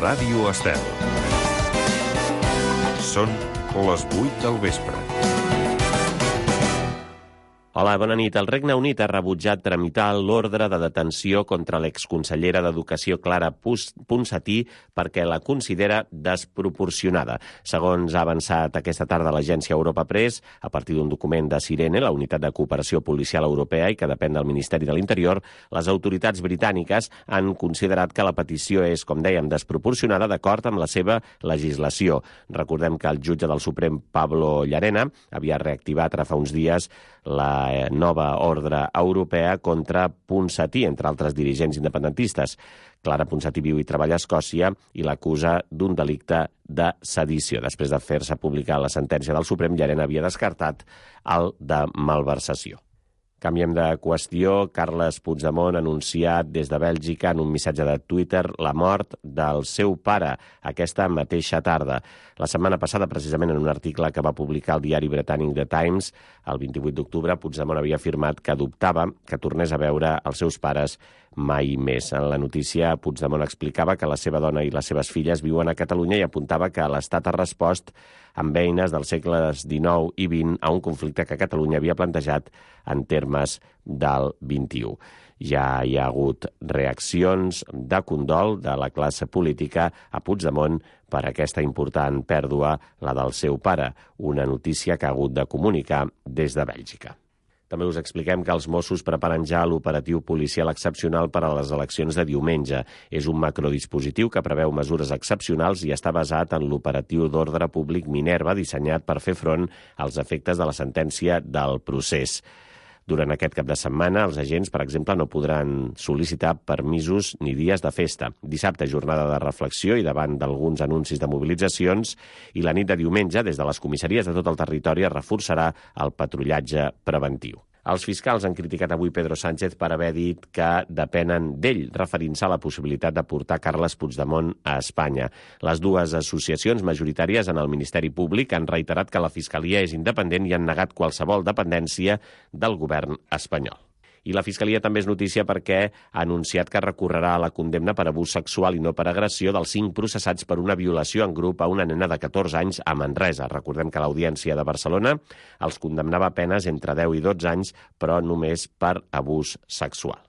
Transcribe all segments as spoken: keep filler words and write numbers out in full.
Ràdio Estel. Són les vuit del vespre. Hola, bona nit. El Regne Unit ha rebutjat tramitar l'ordre de detenció contra l'exconsellera d'Educació Clara Ponsatí perquè la considera desproporcionada. Segons ha avançat aquesta tarda l'agència Europa Press, a partir d'un document de Sirene, la unitat de cooperació policial europea i que depèn del Ministeri de l'Interior, les autoritats britàniques han considerat que la petició és, com dèiem, desproporcionada d'acord amb la seva legislació. Recordem que el jutge del Suprem, Pablo Llarena, havia reactivat ara fa uns dies la nova ordre europea contra Ponsatí, entre altres dirigents independentistes. Clara Ponsatí viu i treballa a Escòcia i l'acusa d'un delicte de sedició. Després de fer-se publicar la sentència del Suprem, Llarena havia descartat el de malversació. Canviem de qüestió. Carles Puigdemont ha anunciat des de Bèlgica en un missatge de Twitter la mort del seu pare aquesta mateixa tarda. La setmana passada, precisament en un article que va publicar el diari britànic The Times, el vint-i-vuit d'octubre, Puigdemont havia afirmat que dubtava que tornés a veure els seus pares mai més. En la notícia, Puigdemont explicava que la seva dona i les seves filles viuen a Catalunya i apuntava que l'Estat ha respost amb eines dels segles dinou i vint a un conflicte que Catalunya havia plantejat en termes del vint-i-u. Ja hi ha hagut reaccions de condol de la classe política a Puigdemont per aquesta important pèrdua, la del seu pare, una notícia que ha hagut de comunicar des de Bèlgica. També us expliquem que els Mossos preparen ja l'operatiu policial excepcional per a les eleccions de diumenge. És un macrodispositiu que preveu mesures excepcionals i està basat en l'operatiu d'ordre públic Minerva, dissenyat per fer front als efectes de la sentència del procés. Durant aquest cap de setmana, els agents, per exemple, no podran sol·licitar permisos ni dies de festa. Dissabte, jornada de reflexió i davant d'alguns anuncis de mobilitzacions, i la nit de diumenge, des de les comissaries de tot el territori, es reforçarà el patrullatge preventiu. Els fiscals han criticat avui Pedro Sánchez per haver dit que depenen d'ell, referint-se a la possibilitat de portar Carles Puigdemont a Espanya. Les dues associacions majoritàries en el Ministeri Públic han reiterat que la Fiscalia és independent i han negat qualsevol dependència del govern espanyol. I la Fiscalia també és notícia perquè ha anunciat que recorrerà a la condemna per abús sexual i no per agressió dels cinc processats per una violació en grup a una nena de catorze anys a Manresa. Recordem que l'Audiència de Barcelona els condemnava a penes entre deu i dotze anys, però només per abús sexual.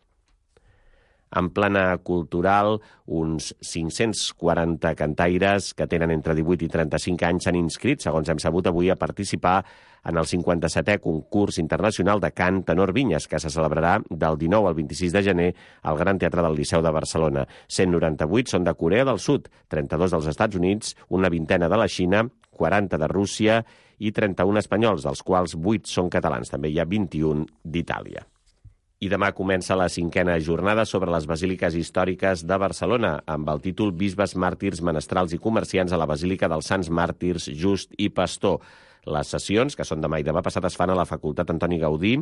En plana cultural, uns cinc-cents quaranta cantaires que tenen entre divuit i trenta-cinc anys s'han inscrit, segons hem sabut avui, a participar en el cinquanta-setè concurs internacional de cant Tenor Vinyes, que se celebrarà del dinou al vint-i-sis de gener al Gran Teatre del Liceu de Barcelona. cent noranta-vuit són de Corea del Sud, trenta-dos dels Estats Units, una vintena de la Xina, quaranta de Rússia i trenta-un espanyols, dels quals vuit són catalans. També hi ha vint-i-un d'Itàlia. I demà comença la cinquena jornada sobre les basíliques històriques de Barcelona, amb el títol Bisbes, màrtirs, menestrals i comerciants a la Basílica dels Sants Màrtirs Just i Pastor. Les sessions, que són demà i demà passat, es fan a la Facultat Antoni Gaudí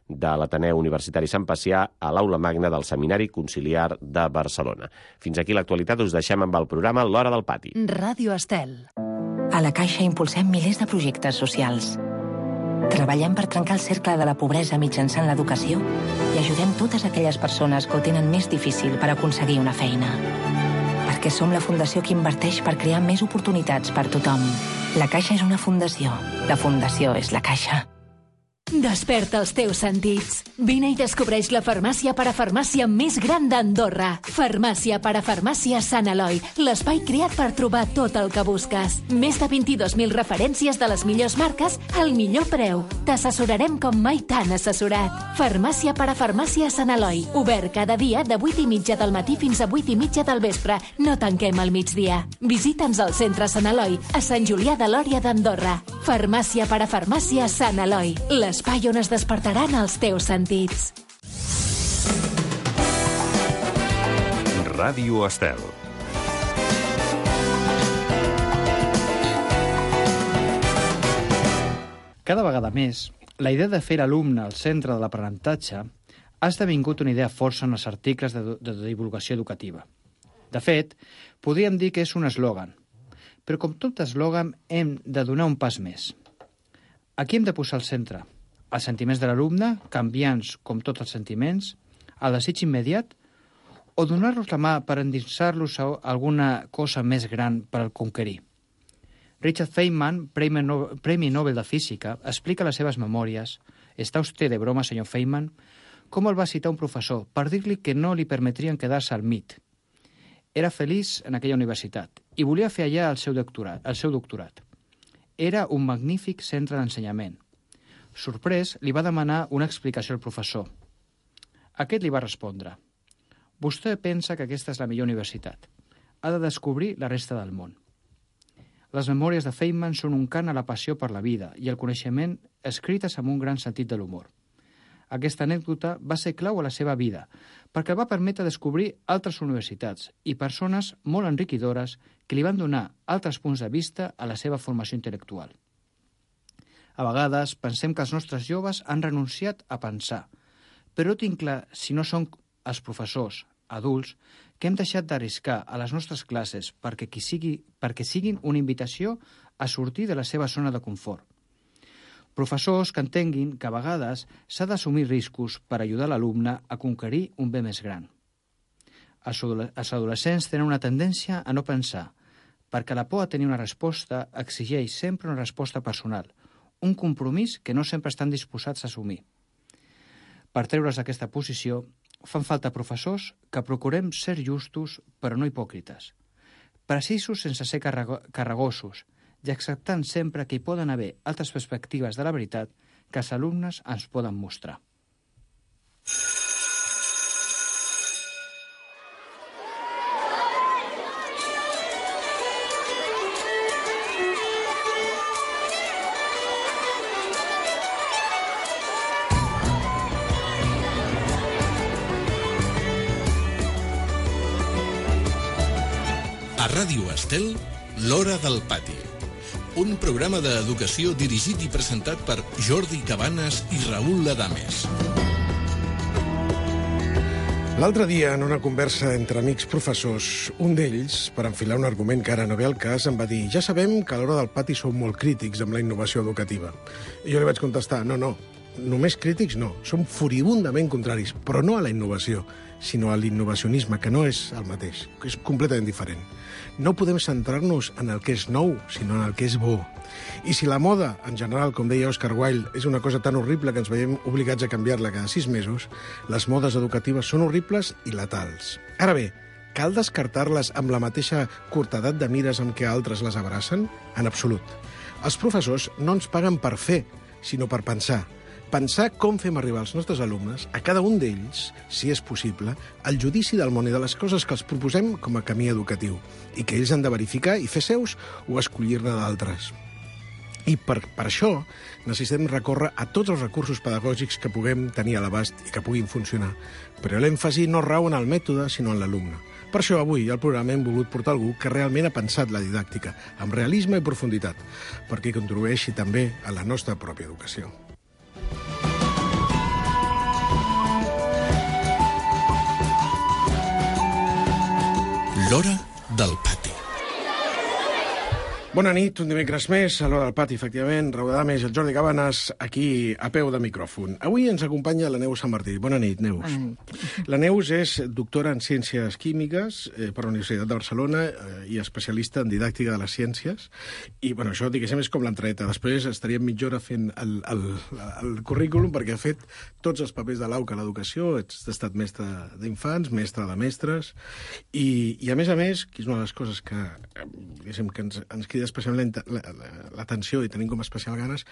de l'Ateneu Universitari Sant Pacià a l'Aula Magna del Seminari Conciliar de Barcelona. Fins aquí l'actualitat, us deixem amb el programa L'Hora del Pati. Ràdio Estel. A la Caixa impulsem milers de projectes socials. Treballem per trencar el cercle de la pobresa mitjançant l'educació i ajudem totes aquelles persones que ho tenen més difícil per aconseguir una feina. Perquè som la fundació que inverteix per crear més oportunitats per tothom. La Caixa és una fundació. La fundació és la Caixa. Desperta els teus sentits. Vine i descobreix la farmàcia parafarmàcia més gran d'Andorra. Farmàcia parafarmàcia Sant Eloi, l'espai creat per trobar tot el que busques. Més de vint-i-dos mil referències de les millors marques al millor preu. T'assessorarem com mai t'han assessorat. Farmàcia parafarmàcia Sant Eloi, obert cada dia de vuit i mitja del matí fins a vuit i mitja del vespre. No tanquem al migdia. Visita'ns al centre Sant Eloi, a Sant Julià de Lòria d'Andorra. Farmàcia parafarmàcia Sant Eloi, l'espai on es despertaran els teus sentits. Ràdio Estel. Cada vegada més, la idea de fer l'alumne al centre de l'aprenentatge ha esdevingut una idea força en els articles de, de divulgació educativa. De fet, podríem dir que és un eslògan, però com tot eslògan hem de donar un pas més. Aquí hem de posar al centre els sentiments de l'alumne, canviants com tots els sentiments, el desig immediat o donar-los la mà per endinsar-los a alguna cosa més gran per al conquerir. Richard Feynman, Premi Nobel, Premi Nobel de Física, explica a les seves memòries «Està usted de broma, senyor Feynman?», com el va citar un professor per dir-li que no li permetrien quedar-se al M I T. Era feliç en aquella universitat i volia fer allà el seu doctorat. El seu doctorat. Era un magnífic centre d'ensenyament. Sorprès, li va demanar una explicació al professor. Aquest li va respondre: «Vostè pensa que aquesta és la millor universitat. Ha de descobrir la resta del món». Les memòries de Feynman són un cant a la passió per la vida i el coneixement escrites amb un gran sentit de l'humor. Aquesta anècdota va ser clau a la seva vida perquè va permetre descobrir altres universitats i persones molt enriquidores que li van donar altres punts de vista a la seva formació intel·lectual. A vegades pensem que els nostres joves han renunciat a pensar, però tinc clar, si no són els professors, adults, que hem deixat d'arriscar a les nostres classes perquè, qui sigui, perquè siguin una invitació a sortir de la seva zona de confort. Professors que entenguin que a vegades s'ha d'assumir riscos per ajudar l'alumne a conquerir un bé més gran. Els adolescents tenen una tendència a no pensar, perquè la por a tenir una resposta exigeix sempre una resposta personal, un compromís que no sempre estan disposats a assumir. Per treure's d'aquesta posició, fan falta professors que procurem ser justos però no hipòcrites, precisos sense ser carregosos i acceptant sempre que hi poden haver altres perspectives de la veritat que els alumnes ens poden mostrar. A Ràdio Estel, l'Hora del Pati. Un programa d'educació dirigit i presentat per Jordi Cabanes i Raül Ladames. L'altre dia, en una conversa entre amics professors, un d'ells, per enfilar un argument que ara no ve al cas, em va dir: ja sabem que a l'Hora del Pati sou molt crítics amb la innovació educativa. I jo li vaig contestar: no, no, només crítics no, som furibundament contraris, però no a la innovació, sinó a l'innovacionisme, que no és el mateix, que és completament diferent. No podem centrar-nos en el que és nou, sinó en el que és bo. I si la moda, en general, com deia Oscar Wilde, és una cosa tan horrible que ens veiem obligats a canviar-la cada sis mesos, les modes educatives són horribles i letals. Ara bé, cal descartar-les amb la mateixa curtedat de mires amb què altres les abracen? En absolut. Els professors no ens paguen per fer, sinó per pensar. Pensar com fem arribar als nostres alumnes, a cada un d'ells, si és possible, el judici del món i de les coses que els proposem com a camí educatiu, i que ells han de verificar i fer seus o escollir-ne d'altres. I per, per això necessitem recórrer a tots els recursos pedagògics que puguem tenir a l'abast i que puguin funcionar. Però l'èmfasi no rau en el mètode, sinó en l'alumne. Per això avui al programa hem volgut portar algú que realment ha pensat la didàctica, amb realisme i profunditat, perquè contribueixi també a la nostra pròpia educació. L'Hora del Pati. Bona nit, un dimecres més, a l'Hora del Pati, efectivament. Raül Ladames i el Jordi Cabanes, aquí a peu de micròfon. Avui ens acompanya la Neus Sant Martí. Bona nit, Neus. Bona nit. La Neus és doctora en Ciències Químiques eh, per la Universitat de Barcelona eh, i especialista en didàctica de les ciències. I, bueno, això, diguéssim, és com l'entreta. Després estaríem mitja hora fent el, el, el currículum, perquè ha fet tots els papers de l'A U C a l'educació. Has estat mestre d'infants, mestre de mestres, i, i a més a més, que és una de les coses que, diguéssim, que ens, ens crida especialment l'atenció i tenim com especial ganes,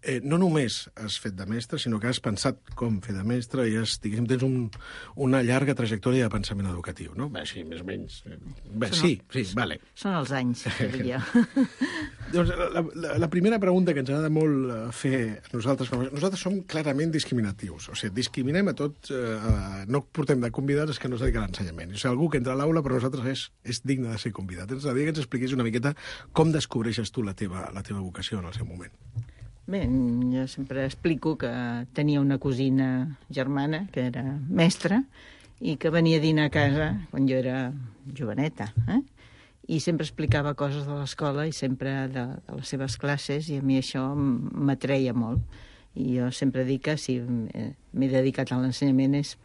eh, no només has fet de mestre, sinó que has pensat com fer de mestre i has, diguéssim, tens un, una llarga trajectòria de pensament educatiu, no? Bé, sí, més o menys. Bé, són sí, el, sí, vale. Són els anys, diria. Doncs la, la, la primera pregunta que ens agrada molt fer a nosaltres, nosaltres som clarament discriminatius, o sigui, discriminem a tots, eh, no portem de convidats que no es dediquen a l'ensenyament. O sigui, algú que entra a l'aula per nosaltres és, és digne de ser convidat. Ens agradaria que ens expliquis una miqueta com descobreixes tu la teva, la teva vocació en el seu moment. Bé, jo sempre explico que tenia una cosina germana que era mestra i que venia a dinar a casa quan jo era joveneta, eh? I sempre explicava coses de l'escola i sempre de, de les seves classes, i a mi això m'atreia molt. I jo sempre dic que si m'he dedicat a l'ensenyament és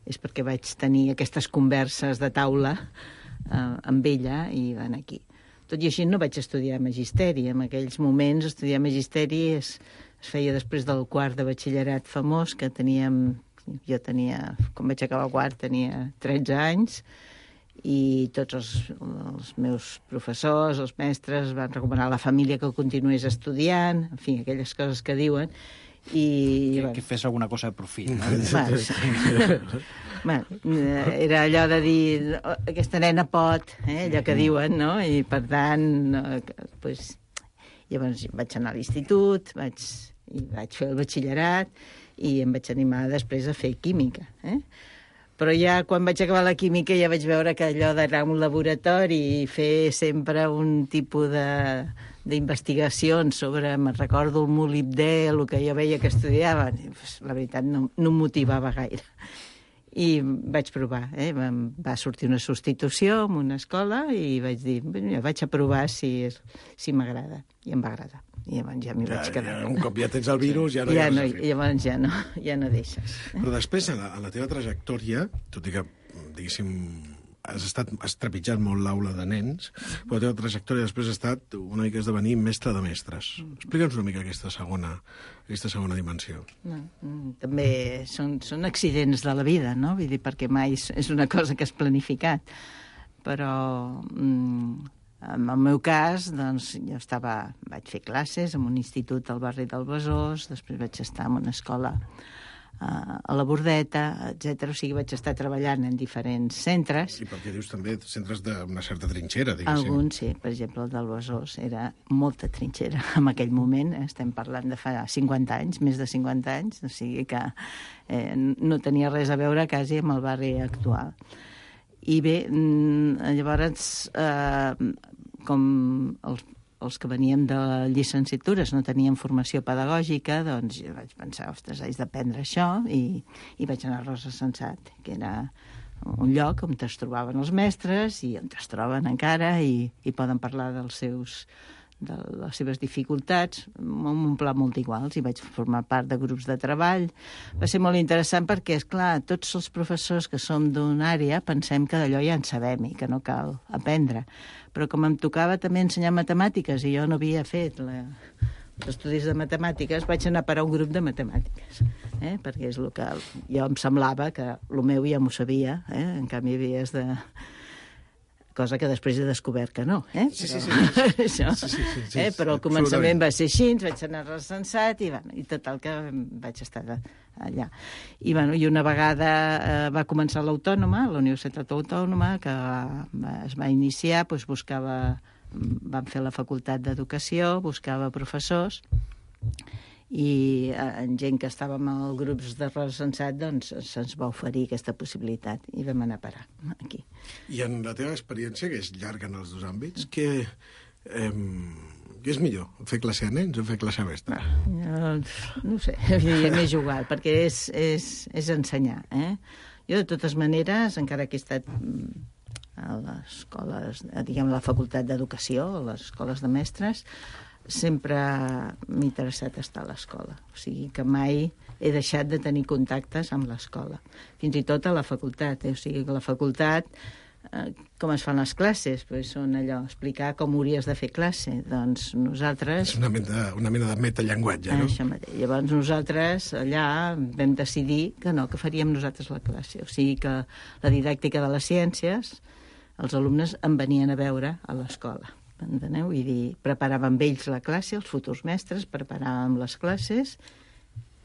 és perquè vaig tenir aquestes converses de taula eh, amb ella i van aquí. Tot i així no vaig estudiar magisteri. En aquells moments estudiar magisteri es, es feia després del quart de batxillerat famós, que teníem, jo tenia, quan vaig acabar el quart, tenia tretze anys, i tots els, els meus professors, els mestres, van recomanar a la família que continués estudiant, en fi, aquelles coses que diuen. I, que, bueno, que fes alguna cosa de profit, no? Bueno, bueno, era allò de dir aquesta nena pot, eh, allò que diuen, no? I per tant, pues, llavors vaig anar a l'institut, vaig, i vaig fer el batxillerat i em vaig animar després a fer química, eh? Però ja quan vaig acabar la química ja vaig veure que allò d'anar a un laboratori i fer sempre un tipus de d'investigacions sobre, me'n recordo, el molibdè, el que jo veia que estudiaven, la veritat no, no em motivava gaire. I vaig provar, eh? Va sortir una substitució en una escola i vaig dir, ja vaig a provar si, si m'agrada. I em va agradar. I llavors ja m'hi vaig quedar. Ja, un cop ja tens el virus, ja no ja hi ha no, res a fer. Llavors ja no, ja no deixes. Eh? Però després, en la, en la teva trajectòria, tot i que, diguéssim, has estat has trepitjat molt l'aula de nens, però la teva trajectòria després ha estat una mica esdevenir mestre de mestres. Explica'ns una mica aquesta segona, aquesta segona dimensió. No, també són, són accidents de la vida, no? Vull dir, perquè mai és, és una cosa que has planificat. Però mm, en el meu cas, doncs, jo estava, vaig fer classes en un institut al barri del Besòs, després vaig estar en una escola a la Bordeta, etcètera. O sigui, vaig estar treballant en diferents centres. I perquè dius també centres d'una certa trinxera, diguéssim. Alguns, sí. Per exemple, el del Besòs era molta trinxera en aquell moment. Estem parlant de fa cinquanta anys, més de cinquanta anys, o sigui que eh, no tenia res a veure quasi amb el barri actual. I bé, llavors, eh, com els els que veníem de llicenciatures no teníem formació pedagògica, doncs jo vaig pensar, ostres, haig d'aprendre això, i, i vaig anar a Rosa Sensat, que era un lloc on es trobaven els mestres i on es troben encara i, i poden parlar dels seus, de les seves dificultats, amb un pla molt iguals, i vaig formar part de grups de treball. Va ser molt interessant perquè, és clar, tots els professors que som d'una àrea pensem que d'allò ja en sabem i que no cal aprendre. Però com em tocava també ensenyar matemàtiques i jo no havia fet la, els estudis de matemàtiques, vaig anar a parar un grup de matemàtiques, eh? Perquè és el que jo em semblava que el meu ja m'ho sabia, eh? En canvi havies de... cosa que després he descobert que no, eh? Sí, sí, sí. Això, sí, sí, sí, sí. eh? Però al començament va ser així, vaig anar recensat i, bueno, i total que vaig estar allà. I, bueno, i una vegada eh, va començar l'Autònoma, la Universitat Autònoma, que va, es va iniciar, doncs buscava, vam fer la facultat d'Educació, buscava professors, i en gent que estàvem als grups de recensat, doncs se'ns va oferir aquesta possibilitat i vam anar a parar aquí. I en la teva experiència, que és llarga en els dos àmbits, què, eh, què és millor, fer classe a nens o fer classe a mestre? No, no ho sé, m'he jugat, perquè és, és, és ensenyar. Eh? Jo, de totes maneres, encara que he estat a les escoles, diguem, a la facultat d'Educació, a les escoles de mestres, sempre m'ha interessat estar a l'escola. O sigui que mai he deixat de tenir contactes amb l'escola. Fins i tot a la facultat. Eh? O sigui que a la facultat, eh, com es fan les classes? Pues són allò, explicar com hauries de fer classe. Doncs nosaltres... És una mena, una mena de metallenguatge, no? Això mateix. Llavors nosaltres allà vam decidir que no, que faríem nosaltres la classe. O sigui que la didàctica de les ciències, els alumnes em venien a veure a l'escola. Enteneu? Vull dir, preparàvem ells la classe, els futurs mestres, preparàvem les classes,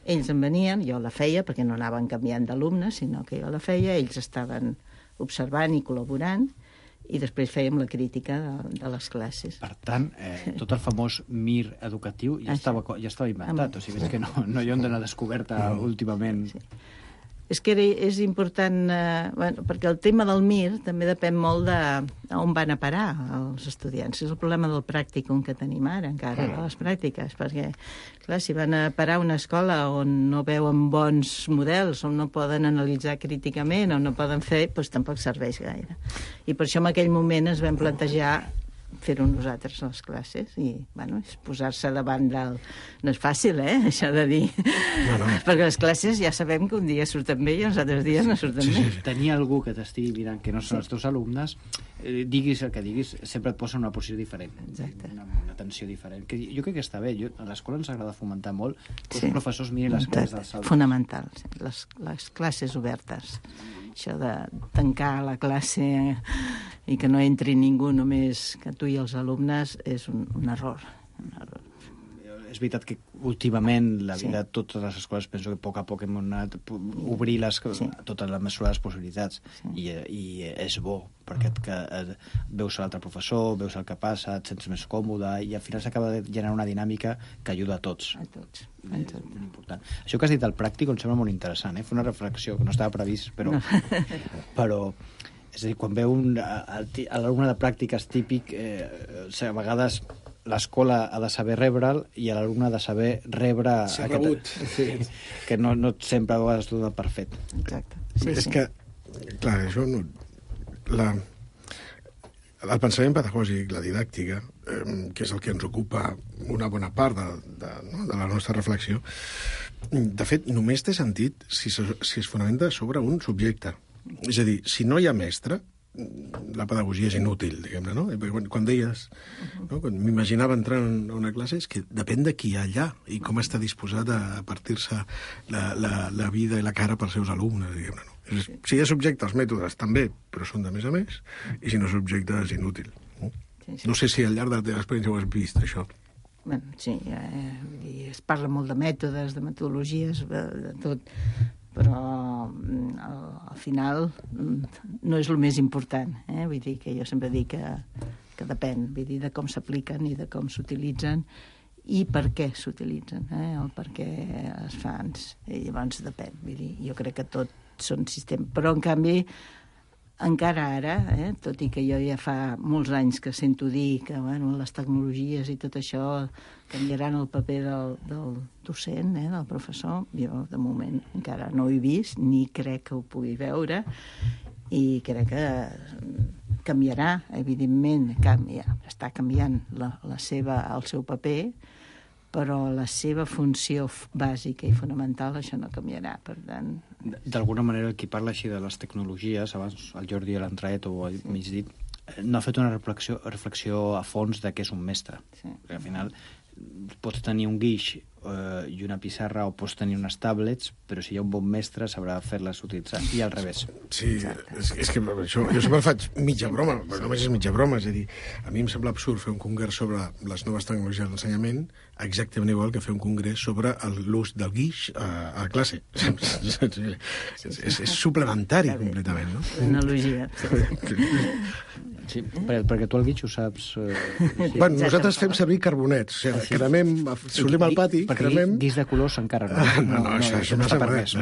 ells en venien, jo la feia, perquè no anaven canviant d'alumnes, sinó que jo la feia, ells estaven observant i col·laborant, i després fèiem la crítica de, de les classes. Per tant, eh, tot el famós mir educatiu ja, estava, ja estava inventat, o sigui, és que no, no hi ha una descoberta no. últimament. Sí. És que era, és important, eh, bueno, perquè el tema del mir també depèn molt de on van a parar els estudiants. És el problema del pràcticum que tenim ara, encara, de les pràctiques, perquè, clar, si van a parar a una escola on no veuen bons models, on no poden analitzar críticament, on no poden fer, doncs tampoc serveix gaire. I per això en aquell moment ens vam plantejar fer-ho nosaltres les classes i, bueno, és posar-se davant del... No és fàcil, eh, això de dir. No, no. Perquè les classes ja sabem que un dia surten bé i els altres dies no surten sí, bé. Sí, sí. Tenir algú que t'estigui mirant que no són sí. els teus alumnes, eh, diguis el que diguis, sempre et posa en una posició diferent. Exacte. Una, una tensió diferent. Que jo crec que està bé. Jo, a l'escola ens agrada fomentar molt que sí. els professors mirin les classes dels alumnes. Fonamental. Les, les classes obertes. Això de tancar la classe i que no entri ningú, només que tu i els alumnes, és un, un error. Un error. És veritat que últimament la vida, sí. totes les escoles, penso que a poc a poc hem anat obrir les, sí. totes les mesures, les possibilitats, sí. i, i és bo, perquè et, que, et, veus l'altre professor, veus el que passa, et sents més còmode, i al final s'acaba de generar una dinàmica que ajuda a tots. A tots. A és tot. molt important. Això que has dit al pràctic em sembla molt interessant, eh? Fer una reflexió que no estava previst, però... No. però és a dir, quan veu un, l'alumne de pràctiques típic, eh, a vegades l'escola ha de saber rebre'l i l'alumne ha de saber rebre... Ser rebut. Sí, que no, no sempre a vegades dona per fet. Exacte. Sí, és sí. que, clar, això no... La, el pensament pedagògic, la didàctica, eh, que és el que ens ocupa una bona part de, de, no, de la nostra reflexió, de fet, només té sentit si, si es fonamenta sobre un subjecte. És a dir, si no hi ha mestre, la pedagogia és inútil, diguem-ne, no? Quan, quan deies, no? Quan m'imaginava entrant a una classe, és que depèn de qui hi ha allà i com està disposat a partir-se la, la, la vida i la cara pels seus alumnes, diguem-ne, no? És, si hi ha subjecte, els mètodes també, però són de més a més, i si no subjecte és inútil. No, sí, sí. No sé si al llarg de la teva experiència ho has vist, això. Bueno, sí, eh, es parla molt de mètodes, de metodologies, de, de tot, però al, al final no és el més important, eh? Vull dir que jo sempre dic que, que depèn, vull dir, de com s'apliquen i de com s'utilitzen i per què s'utilitzen, eh? El per què es fan, i llavors depèn, vull dir, jo crec que tot són sistemes, però en canvi encara ara, eh, tot i que jo ja fa molts anys que sento dir que bueno, les tecnologies i tot això canviaran el paper del, del docent, eh, del professor, jo de moment encara no ho he vist, ni crec que ho pugui veure, i crec que canviarà, evidentment, canvia, està canviant la, la seva, el seu paper, però la seva funció bàsica i fonamental això no canviarà, per tant... D'alguna manera, qui parla així de les tecnologies, abans el Jordi a l'entret ho ha mig dit, no ha fet una reflexió, reflexió a fons de què és un mestre. Sí. Perquè al final pots tenir un guix eh, i una pissarra o pots tenir unes tablets, però si hi ha un bon mestre sabrà fer-les utilitzar, i al revés. Sí, és, és que això, jo sempre faig mitja broma, però només és mitja broma, és a dir, a mi em sembla absurd fer un congrés sobre les noves tecnologies de l'ensenyament exactament igual que fer un congrés sobre l'ús del guix a, a classe. és, és, és suplementari completament, no? Analogia. Sí, perquè, perquè tu el guix ho saps... Eh, sí. Bueno, nosaltres fem servir carbonets, o sigui, cremem, solim al pati, perquè cremem... Perquè guix de colors encara no. No, no, no, això, això no s'ha permès.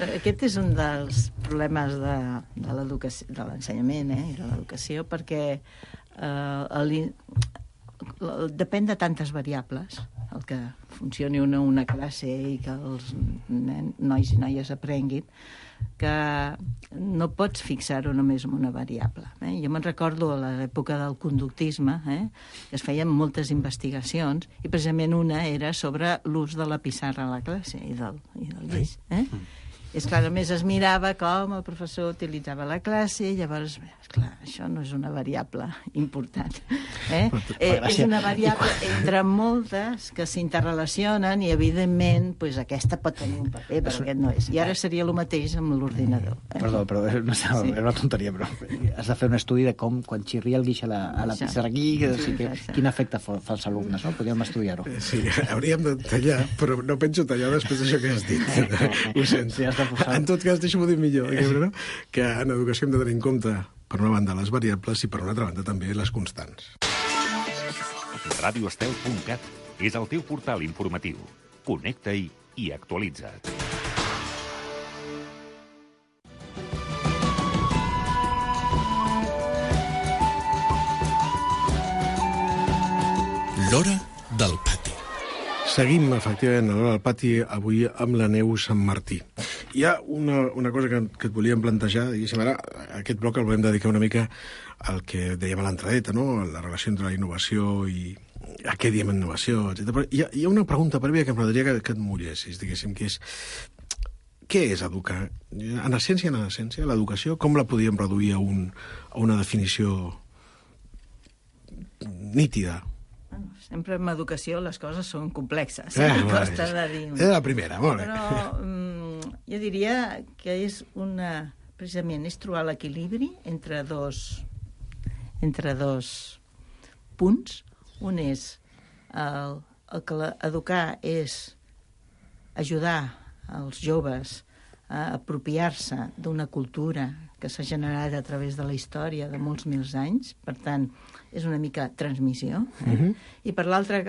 Aquest és un dels problemes de, de l'educació, de l'ensenyament, eh, i de l'educació, perquè eh, el, depèn de tantes variables el que funcioni una, una classe i que els nen, nois i noies aprenguin, que no pots fixar-ho només en una variable. Eh? Jo me'n recordo a l'època del conductisme, eh? es feien moltes investigacions i precisament una era sobre l'ús de la pissarra a la classe i del, i del guix. Eh? És clar, només es mirava com el professor utilitzava la classe i llavors, esclar, això no és una variable important. Eh? Eh, és una variable entre moltes que s'interrelacionen i, evidentment, pues, aquesta pot tenir un paper, però aquest no és. I ara seria el mateix amb l'ordinador. Eh? Perdó, però no sé, sí. Era una tonteria, però has de fer un estudi de com, quan xirria el guix a la, a la pissarra aquí, que, sí, que, quin efecte fa als alumnes, no? Podríem estudiar-ho. Sí, hauríem de tallar, però no penso tallar després d'això que has dit. Ho sento. Sí, en tot cas, deixa'm-ho dir millor, no? Que en educació hem de tenir en compte, per una banda, les variables i, per una altra banda, també les constants. radio estel punt cat és el teu portal informatiu. Connecta-hi i actualitza't. L'hora del pati. Seguim, efectivament, a l'hora del pati, avui amb la Neus Sant Martí. hi ha una, una cosa que, que et volíem plantejar, diguéssim, ara aquest bloc el volem dedicar una mica al que dèiem a l'entradeta, no? La relació entre la innovació i a què diem innovació, etcètera. Però hi ha, hi ha una pregunta prèvia que m'agradaria que, que et mullessis, diguéssim, que és què és educar? En essència, en essència, l'educació, com la podíem reduir a, un, a una definició nítida? Bueno, sempre en educació les coses són complexes. Eh, costa de dir. És la primera, molt bé. Però mm, jo diria que és una... Precisament és trobar l'equilibri entre dos, entre dos punts. Un és el, el que educar és ajudar els joves a apropiar-se d'una cultura que s'ha generat a través de la història de molts mils anys, per tant, és una mica transmissió. Eh? Uh-huh. I per l'altra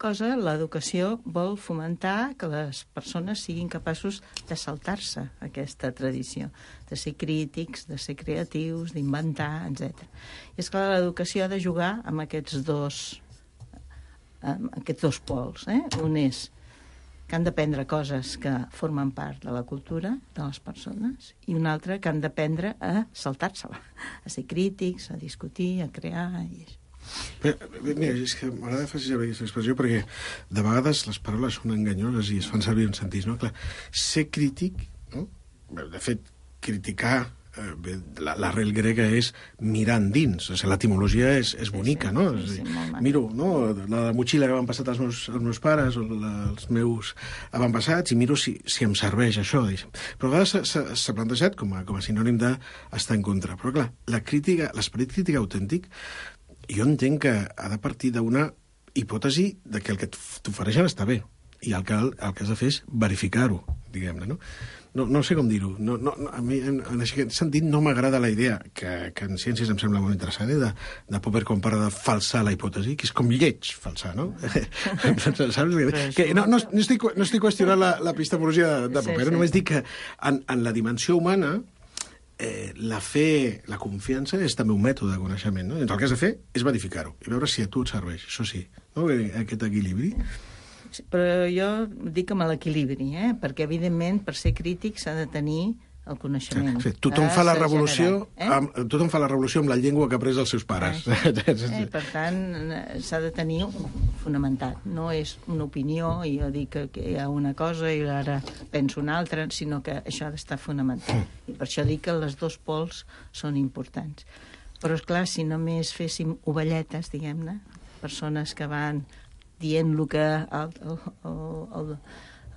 cosa, l'educació vol fomentar que les persones siguin capaços de saltar-se aquesta tradició, de ser crítics, de ser creatius, d'inventar, etcètera. I és clar, l'educació ha de jugar amb aquests dos, amb aquests dos pols. Eh? Un és que han d'aprendre coses que formen part de la cultura de les persones i un altre que han d'aprendre a saltar-se-la, a ser crítics, a discutir, a crear... I... Bé, mira, és que m'agrada fer aquesta expressió perquè de vegades les paraules són enganyoses i es fan servir en sentits, no? Clar, ser crític, no? De fet, criticar, eh, bé, l'arrel grega és mirar endins, o sigui, l'etimologia és, és bonica, sí, sí, no? Sí, sí, dir, miro, no?, la motxilla que m'han passat els meus, els meus pares o la, els meus avantpassats i miro si, si em serveix això, diguéssim. Però a vegades s'ha plantejat com a, com a sinònim d'estar en contra. Però clar, la crítica, l'esperit crític autèntic, jo entenc que ha de partir d'una hipòtesi de que el que t'ofereixen està bé i el que, el que has de fer és verificar-ho, diguem-ne, no? No, no sé com dir-ho. No, no, a mi, en, en aquest sentit, no m'agrada la idea, que, que en ciències em sembla molt interessant, eh, de, de Popper quan parla de falsar la hipòtesi, que és com lleig falsar, no? Saps? Que no, no, no, estic, no estic qüestionant la, l'epistemologia de, de Popper, sí, sí. Només dic que en, en la dimensió humana eh, la fe, la confiança és també un mètode de coneixement, no? I el que has de fer és verificar-ho i veure si a tu et serveix, això sí, no? Aquest equilibri. Sí, però jo dic amb l'equilibri, eh? Perquè, evidentment, per ser crític s'ha de tenir el coneixement. Sí, tothom fa la revolució, eh? amb, tothom fa la revolució amb la llengua que ha après els seus pares. Eh? eh, per tant, s'ha de tenir fonamentat. No és una opinió i jo dic que, que hi ha una cosa i ara penso una altra, sinó que això ha d'estar fonamentat. I per això dic que els dos pols són importants. Però, esclar, si només féssim ovelletes, diguem-ne, persones que van dient el que el, el, el,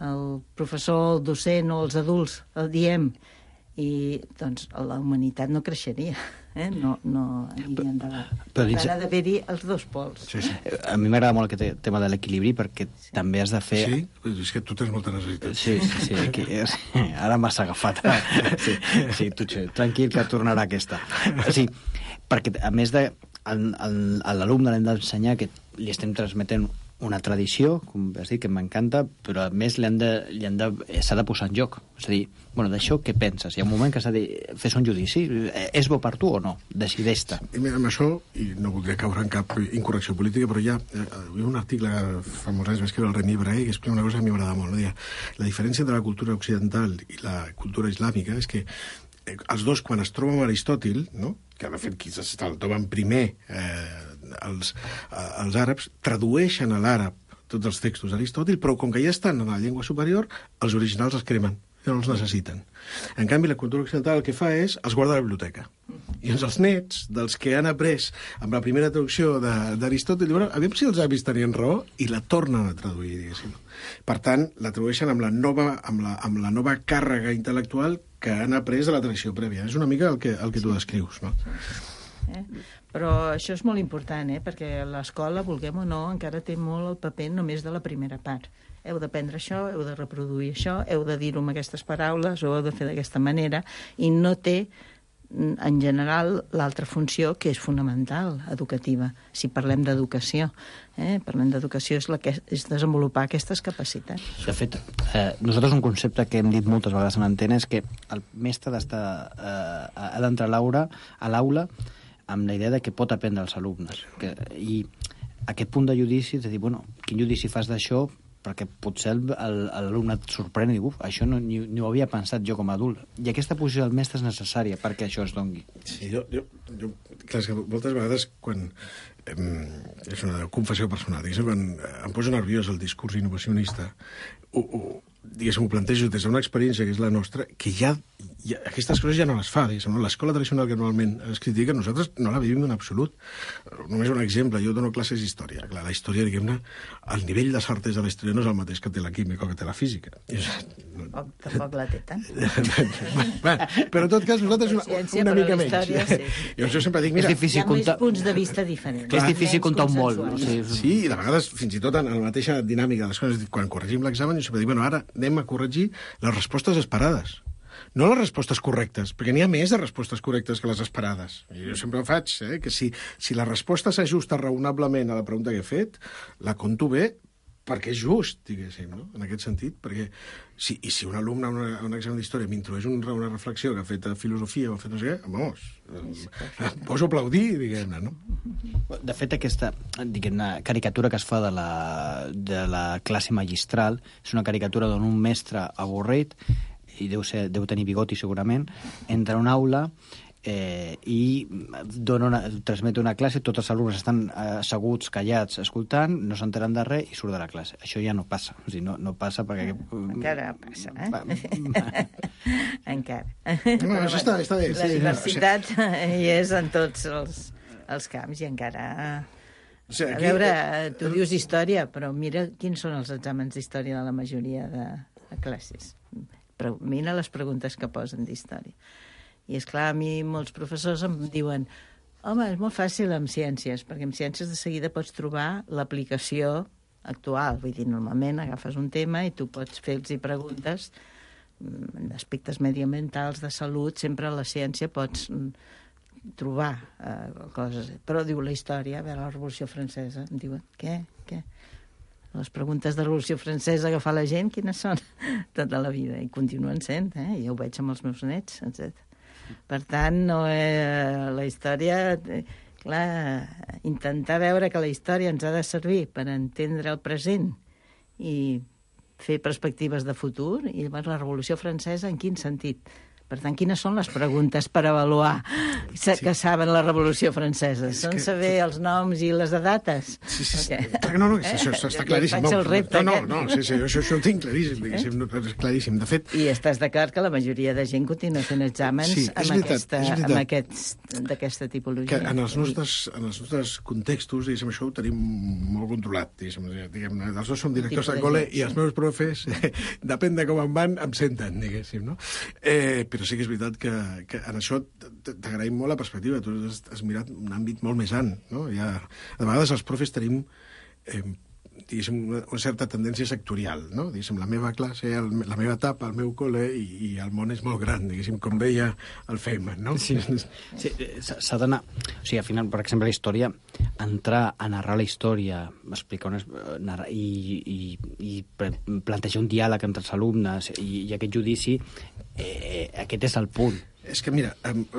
el professor, el docent o els adults el diem, i doncs la humanitat no creixeria, eh? no, no aniria endavant. Però dins... ha d'haver-hi els dos pols. Sí, sí. A mi m'agrada molt aquest tema de l'equilibri perquè sí. també has de fer... Sí? És que tu tens molta necessitat. Sí, sí, sí, aquí, sí. Ara m'has agafat. Sí, sí, tu, tranquil, que tornarà aquesta. Sí, perquè a més de... A l'alumne l'hem d'ensenyar que li estem transmetent una tradició, com has dit, que m'encanta, però a més li han de, li han de, s'ha de posar en joc. És a dir, bueno, d'això què penses? Hi ha un moment que s'ha de fer un judici. És bo per tu o no? Decideix-te. I mira, amb això, i no voldria caure en cap incorrecció política, però hi ha, hi ha un article fa molts anys va escriure el Remy Brahe que explica una cosa que a mi m'agrada molt. No? La diferència entre la cultura occidental i la cultura islàmica és que els dos, quan es troben amb Aristòtil, no? Que de fet qui se'l troben primer eh, els, eh, els àrabs, tradueixen a l'àrab tots els textos d'Aristòtil, però com que ja estan en la llengua superior, els originals els cremen, ja no els necessiten. En canvi, la cultura occidental el que fa és els guarda a la biblioteca. I els nets, dels que han après amb la primera traducció d'Aristòtil, diuen, aviam si els avis tenien raó, i la tornen a traduir, diguéssim. Per tant, la tradueixen amb la nova, amb la, amb la nova càrrega intel·lectual que han après de la tradició prèvia. És una mica el que, el que tu descrius, no? Eh? Però això és molt important, eh? Perquè l'escola, vulguem o no, encara té molt el paper només de la primera part. Heu d'aprendre això, heu de reproduir això, heu de dir-ho amb aquestes paraules o heu de fer d'aquesta manera, i no té, en general, l'altra funció que és fonamental, educativa. Si parlem d'educació, eh? parlem d'educació és, la que, és desenvolupar aquestes capacitats. De fet, eh, nosaltres un concepte que hem dit moltes vegades en antena és que el mestre d'estar, eh, ha d'entrar a l'aula, a l'aula amb la idea de que pot aprendre els alumnes. Que, I aquest punt de judici, de dir, bueno, quin judici fas d'això, perquè potser l'alumne et sorprèn i diu, uf, això no, ni, ni ho havia pensat jo com a adult. I aquesta posició del mestre és necessària perquè això es dongui. Sí, jo, jo, jo clar, és que moltes vegades quan... Eh, és una confessió personal, diguéssim, quan em poso nerviós el discurs innovacionista, ho, ho, diguéssim, ho plantejo des d'una experiència que és la nostra, que ja, ja aquestes coses ja no les fa, diguéssim, no? L'escola tradicional que normalment es critica, nosaltres no la vivim en absolut. Només un exemple, jo dono classes d'història. Clar, la història, diguem-ne, el nivell de certesa de la història no és el mateix que té la química o que té la física. És... Oh, tampoc la té tant. Bueno, però en tot cas, nosaltres una, Ciència, una mica menys. Història, sí. Jo, jo sempre dic, mira... És difícil hi ha comptar... més punts de vista diferents. És difícil comptar un molt. No? Sí, Sí, i de vegades, fins i tot en la mateixa dinàmica de les coses, quan corregim l'examen, jo sempre dic, bueno, ara anem a corregir les respostes esperades. No les respostes correctes, perquè n'hi ha més de respostes correctes que les esperades. I jo sempre ho faig, eh, que si, si la resposta s'ajusta raonablement a la pregunta que he fet, la conto bé, perquè és just, diguéssim, no? En aquest sentit, perquè si, i si un alumne a, una, a un examen d'història m'introdueix un, una reflexió que ha fet a filosofia o ha fet no sé què, vamos, em poso a aplaudir, diguem-ne, no? De fet, aquesta diguem-ne, caricatura que es fa de la, de la classe magistral és una caricatura d'on un mestre avorrit, i deu, ser, deu tenir bigoti segurament, entra a una aula eh, i dona una, transmet una classe, tots els alumnes estan asseguts, callats, escoltant, no s'enteren de res i surt de la classe. Això ja no passa. O sigui, no, no passa perquè... Encara passa, eh? Encara. No, això està, està bé. La sí, diversitat no, o sigui... hi és en tots els, els camps i encara... O sigui, aquí... A veure, tu dius història, però mira quins són els exàmens d'història de la majoria de, de classes. Però mira les preguntes que posen d'història. I, és clar, a mi molts professors em diuen home, és molt fàcil amb ciències, perquè amb ciències de seguida pots trobar l'aplicació actual. Vull dir, normalment agafes un tema i tu pots fer-los preguntes d'aspectes mediambientals, de salut, sempre a la ciència pots trobar eh, coses. Però, diu, la història, a veure, la Revolució Francesa, em diuen, què? Què? Les preguntes de Revolució Francesa que fa la gent, quines són? Tota la vida. I continuen sent, eh? Ja ho veig amb els meus nets, etcètera. Per tant, no, eh, la història... Eh, clar, intentar veure que la història ens ha de servir per entendre el present i fer perspectives de futur, i llavors la Revolució Francesa en quin sentit? Per tant, quines són les preguntes per avaluar sí. que saben la Revolució Francesa? És són que... saber els noms i les dates? Sí, sí, sí. Eh? No, no, eh? això està claríssim. Jo faig el repte, no, no, no, sí, sí, això, això ho tinc claríssim, diguéssim, no, és claríssim. De fet... I estàs d'acord que la majoria de gent continua fent exàmens sí, amb, veritat, aquesta, amb aquests d'aquesta tipologia? Que en els nostres, en els nostres contextos, diguéssim, això ho tenim molt controlat, diguéssim. Diguem, els dos som directors de col·le i els meus profes, eh, depèn de com em van, em senten, diguéssim, no? Eh, però sí que és veritat que, que en això t'agraïm molt la perspectiva. Tu has, has mirat un àmbit molt més alt, no? Ja, de vegades els profes tenim eh, diguéssim, una, una certa tendència sectorial, no? Diguéssim, la meva classe, el, la meva etapa, el meu col·le, i, i el món és molt gran, diguéssim, com deia el Feynman, no? Sí, sí s'ha d'anar... O sigui, al final, per exemple, la història, entrar a narrar la història, explicar unes, narrar, i, i, i plantejar un diàleg entre els alumnes i, i aquest judici, eh, aquest és el punt. És que, mira,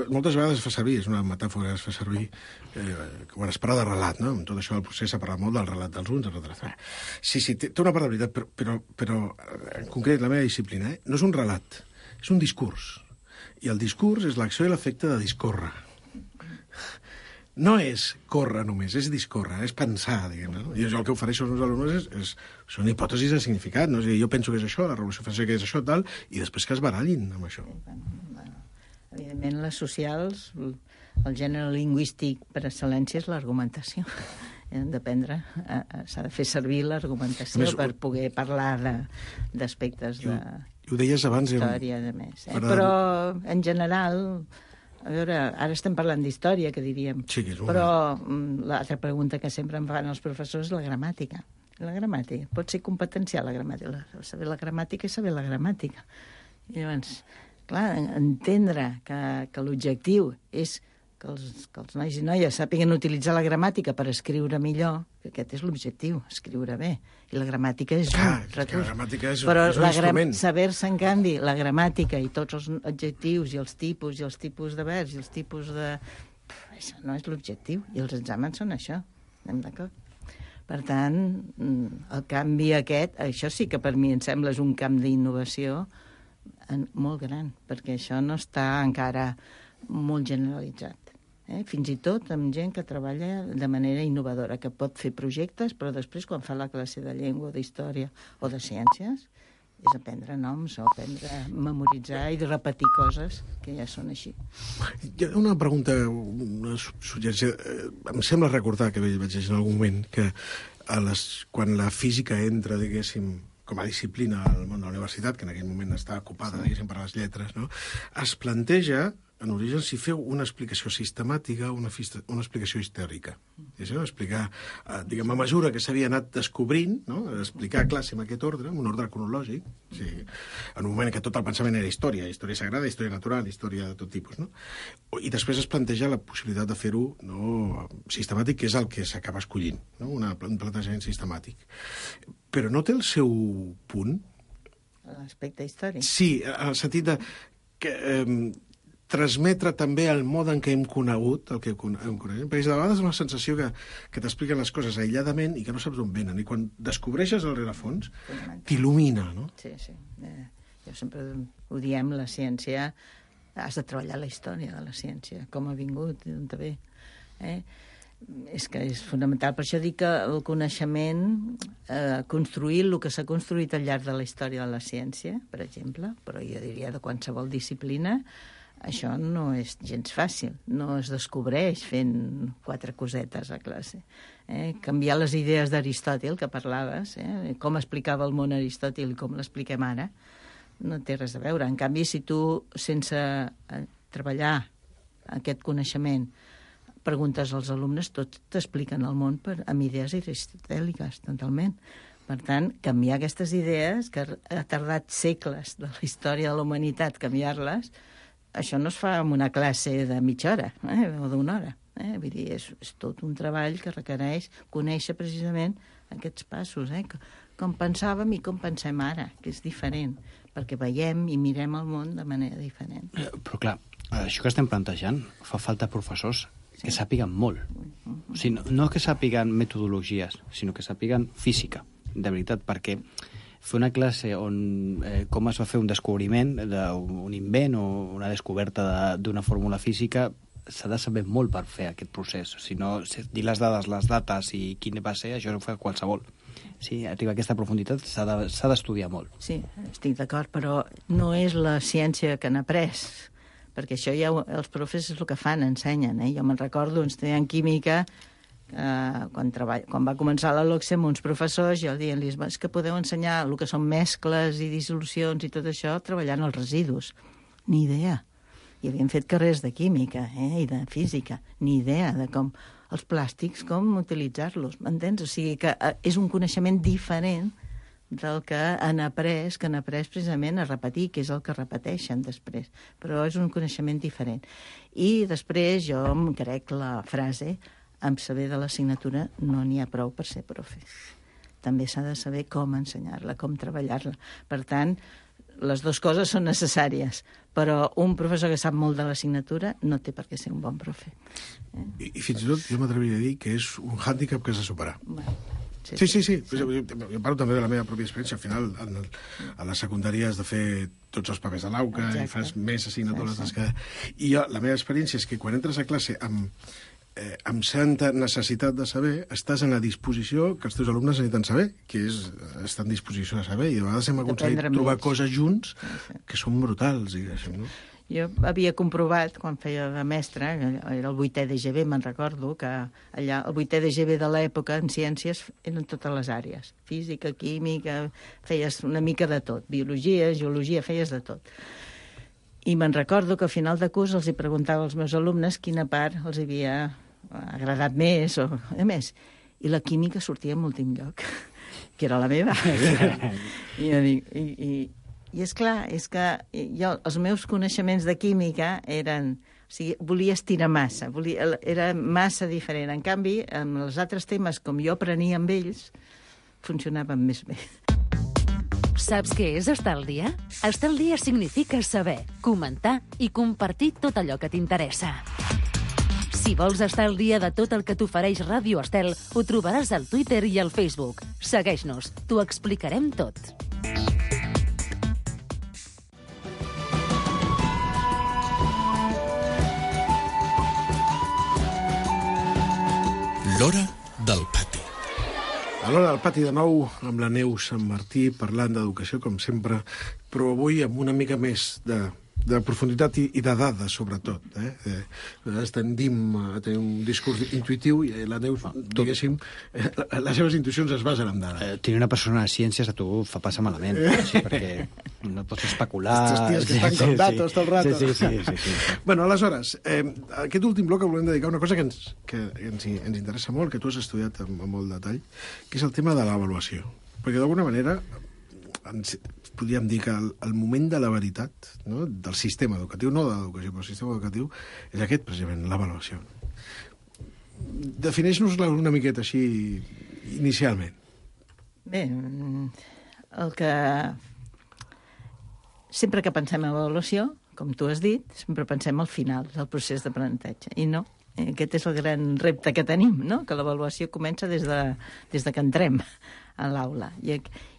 moltes vegades es fa servir, és una metàfora que es fa servir, eh, quan es parla de relat, no? Amb tot això del procés s'ha parlat molt del relat dels uns, etcètera. Sí, sí, té, té una part de veritat, però, però, però en concret la meva disciplina, eh, no és un relat, és un discurs. I el discurs és l'acció i l'efecte de discórrer. No és córrer només, és discórrer, és pensar, diguem-ne. No? I jo el que ofereixo als meus alumnes és, és, són hipòtesis de significat, no? És dir, jo penso que és això, la Revolució Francesa que és això, tal, i després que es barallin amb això. Evidentment, les socials, el gènere lingüístic per excel·lència és l'argumentació. Hem d'aprendre, s'ha de fer servir l'argumentació més, per poder parlar d'aspectes de, de ho deies abans, història, de més. Eh? Però, en general, a veure, ara estem parlant d'història, que diríem, sí, que és una... però l'altra pregunta que sempre em fan els professors és la gramàtica. La gramàtica. Pot ser competencial, la gramàtica. Saber la gramàtica és saber la gramàtica. I llavors... Clar, entendre que, que l'objectiu és que els, que els nois i noies sàpiguen utilitzar la gramàtica per escriure millor, que aquest és l'objectiu, escriure bé. I la gramàtica és Clar, un recurs. La gramàtica és, Però és un instrument. Saber-se, en canvi, la gramàtica i tots els adjectius i els tipus i els tipus de verbs i els tipus de... Això no és l'objectiu. I els exàmens són això. Anem d'acord? Per tant, el canvi aquest, això sí que per mi em sembla és un camp d'innovació molt gran, perquè això no està encara molt generalitzat. Eh? Fins i tot amb gent que treballa de manera innovadora, que pot fer projectes, però després quan fa la classe de llengua, d'història o de ciències, és aprendre noms o aprendre a memoritzar i de repetir coses que ja són així. Hi ha una pregunta, una suggerència. Em sembla recordar que vaig llegir en algun moment que a les, quan la física entra, diguéssim, com a disciplina al món de la universitat, que en aquell moment està ocupada, sí. diguéssim, per les lletres, no? Es planteja en origen si feu una explicació sistemàtica o una, una explicació històrica. És a dir, explicar, eh, diguem, a mesura que s'havia anat descobrint, no? Explicar a classe en aquest ordre, en un ordre cronològic, o sigui, en un moment que tot el pensament era història, història sagrada, història natural, història de tot tipus, no? I després es planteja la possibilitat de fer-ho no, sistemàtic, que és el que s'acaba escollint, no? Una, un plantejament sistemàtic. Però no té el seu punt? L'aspecte històric? Sí, en el sentit de que eh, transmetre també el mode en què hem conegut el que hem conegut. Perquè de vegades és una sensació que, que t'expliquen les coses aïlladament i que no saps d'on venen. I quan descobreixes el rerefons, t'il·lumina, no? Sí, sí. Eh, jo sempre ho diem, la ciència, has de treballar la història de la ciència, com ha vingut i d'on ve. Eh? És que és fonamental. Per això dic que el coneixement, eh, construir el que s'ha construït al llarg de la història de la ciència, per exemple, però jo diria de qualsevol disciplina, això no és gens fàcil, no es descobreix fent quatre cosetes a classe. Eh? Canviar les idees d'Aristòtil, que parlaves, eh? com explicava el món Aristòtil i com l'expliquem ara, no té res a veure. En canvi, si tu, sense treballar aquest coneixement, preguntes als alumnes, tots t'expliquen el món per, amb idees aristotèliques, totalment. Per tant, canviar aquestes idees, que ha tardat segles de la història de la humanitat canviar-les, això no es fa en una classe de mitja hora eh, o d'una hora. Eh? Vull dir, és, és tot un treball que requereix conèixer precisament aquests passos, eh? Com pensàvem i com pensem ara, que és diferent, perquè veiem i mirem el món de manera diferent. Eh, però clar, això que estem plantejant fa falta professors sí. que sàpiguen molt. O sigui, no, no que sàpiguen metodologies, sinó que sàpiguen física, de veritat, perquè fer una classe on eh, com es va fer un descobriment, un invent o una descoberta d'una fórmula física, s'ha de saber molt per fer aquest procés. Si no, dir les dades, les dates i quin va ser, això no ho fa qualsevol. Sí, arribar a aquesta profunditat s'ha de, s'ha d'estudiar molt. Sí, estic d'acord, però no és la ciència que han après, perquè això ja els profes és el que fan, ensenyen. Eh? Jo me'n recordo, un estudiant química, Uh, quan, treball, quan va començar la LOCSE amb uns professors, jo dient-los, és que podeu ensenyar el que són mescles i dissolucions i tot això treballant els residus. Ni idea. I havien fet carrers de química eh, i de física. Ni idea de com els plàstics, com utilitzar-los. M'entens? O sigui que uh, és un coneixement diferent del que han après, que han après precisament a repetir, que és el que repeteixen després. Però és un coneixement diferent. I després jo em crec la frase amb saber de l'assignatura no n'hi ha prou per ser profe. També s'ha de saber com ensenyar-la, com treballar-la. Per tant, les dues coses són necessàries, però un professor que sap molt de l'assignatura no té per què ser un bon profe. Eh? I, I fins i tot jo m'atreviria a dir que és un hàndicap que has de superar. Bueno, sí, sí, sí. sí. sí. Jo, jo parlo també de la meva pròpia experiència. Al final, en el, a la secundària has de fer tots els papers de l'auca i fas més assignatures. Sí, sí. Que... I jo, la meva experiència és que quan entres a classe amb Eh, amb certa necessitat de saber, estàs en la disposició que els teus alumnes necessiten saber, que és estar en disposició de saber, i de vegades hem aconseguit trobar més coses junts que són brutals, diguéssim, no? Jo havia comprovat, quan feia de mestre, era el vuitè de G B, me'n recordo, que allà el vuitè de G B de l'època en ciències eren totes les àrees. Física, química, feies una mica de tot. Biologia, geologia, feies de tot. I me'n recordo que al final de curs els hi preguntava als meus alumnes quina part els havia agradat més o a més. I la química sortia en l'últim lloc, que era la meva. I jo dic, i, i, i és clar, és que jo, els meus coneixements de química eren... O sigui, volia estirar massa, volia, era massa diferent. En canvi, amb els altres temes, com jo aprenia amb ells, funcionaven més bé. Saps què és estar al dia? Estar al dia significa saber, comentar i compartir tot allò que t'interessa. Si vols estar al dia de tot el que t'ofereix Ràdio Estel, ho trobaràs al Twitter i al Facebook. Segueix-nos, t'ho explicarem tot. L'hora del pati. A l'hora del pati de nou, amb la Neus Sant Martí, parlant d'educació, com sempre, però avui amb una mica més de, de profunditat i, i de dades, sobretot. Eh? Eh, nosaltres tendim a tenir un discurs intuïtiu i la Neus, diguéssim, eh, les seves intuïcions es basen en dades. Eh, tenir una persona de ciències a tu fa passar malament, eh? Sí, perquè no pots especular... Estos tios que estan con datos tot el rato. Sí, sí, sí. sí, sí, sí. Bueno, aleshores, eh, aquest últim bloc volem dedicar a una cosa que ens, que ens, ens interessa molt, que tu has estudiat amb, amb molt detall, que és el tema de l'avaluació. Perquè d'alguna manera ens, podríem dir que el, el moment de la veritat, no? Del sistema educatiu, no de l'educació, però el sistema educatiu, és aquest, precisament, l'avaluació. Defineix-nos-la una miqueta així, inicialment. Bé, el que... Sempre que pensem en avaluació, com tu has dit, sempre pensem al final del procés d'aprenentatge. I no, aquest és el gran repte que tenim, no? Que l'avaluació comença des de, des de que entrem a l'aula. I,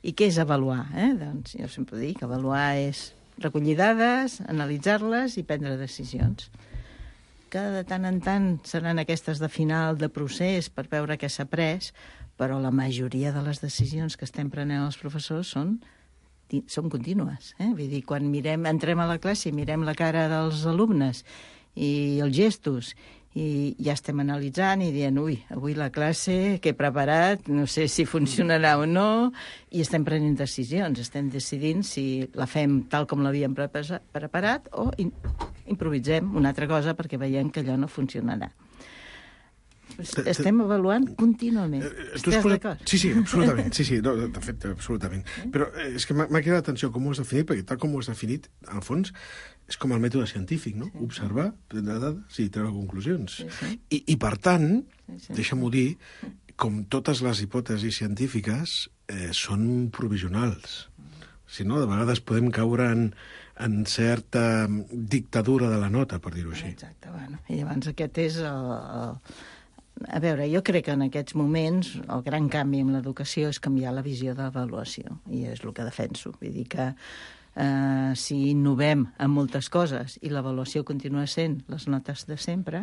I què és avaluar? Eh? Doncs jo sempre dic que avaluar és recollir dades, analitzar-les i prendre decisions. Que de tant en tant seran aquestes de final de procés per veure què s'ha après, però la majoria de les decisions que estem prenent els professors són són contínues. Eh? Vull dir, quan mirem, entrem a la classe i mirem la cara dels alumnes i els gestos i ja estem analitzant i dient, ui, avui la classe que he preparat, no sé si funcionarà o no, i estem prenent decisions, estem decidint si la fem tal com l'havíem preparat o improvisem una altra cosa perquè veiem que allò no funcionarà. Estem avaluant contínuament. Estàs d'acord? Sí, sí, absolutament. Sí, sí, no, de fet, absolutament. Però és que m'ha cridat l'atenció com ho has definit, perquè tal com ho has definit, al fons, és com el mètode científic, no? Observar, prendre dades i treure conclusions. Sí, sí. I, I, per tant, sí, sí. deixa'm-ho dir, com totes les hipòtesis científiques, eh, són provisionals. Si no, de vegades podem caure en, en certa dictadura de la nota, per dir-ho així. Exacte, bueno. I llavors aquest és el... el... A veure, jo crec que en aquests moments el gran canvi en l'educació és canviar la visió de l'avaluació, i és el que defenso. Vull dir que eh, si innovem en moltes coses i l'avaluació continua sent les notes de sempre,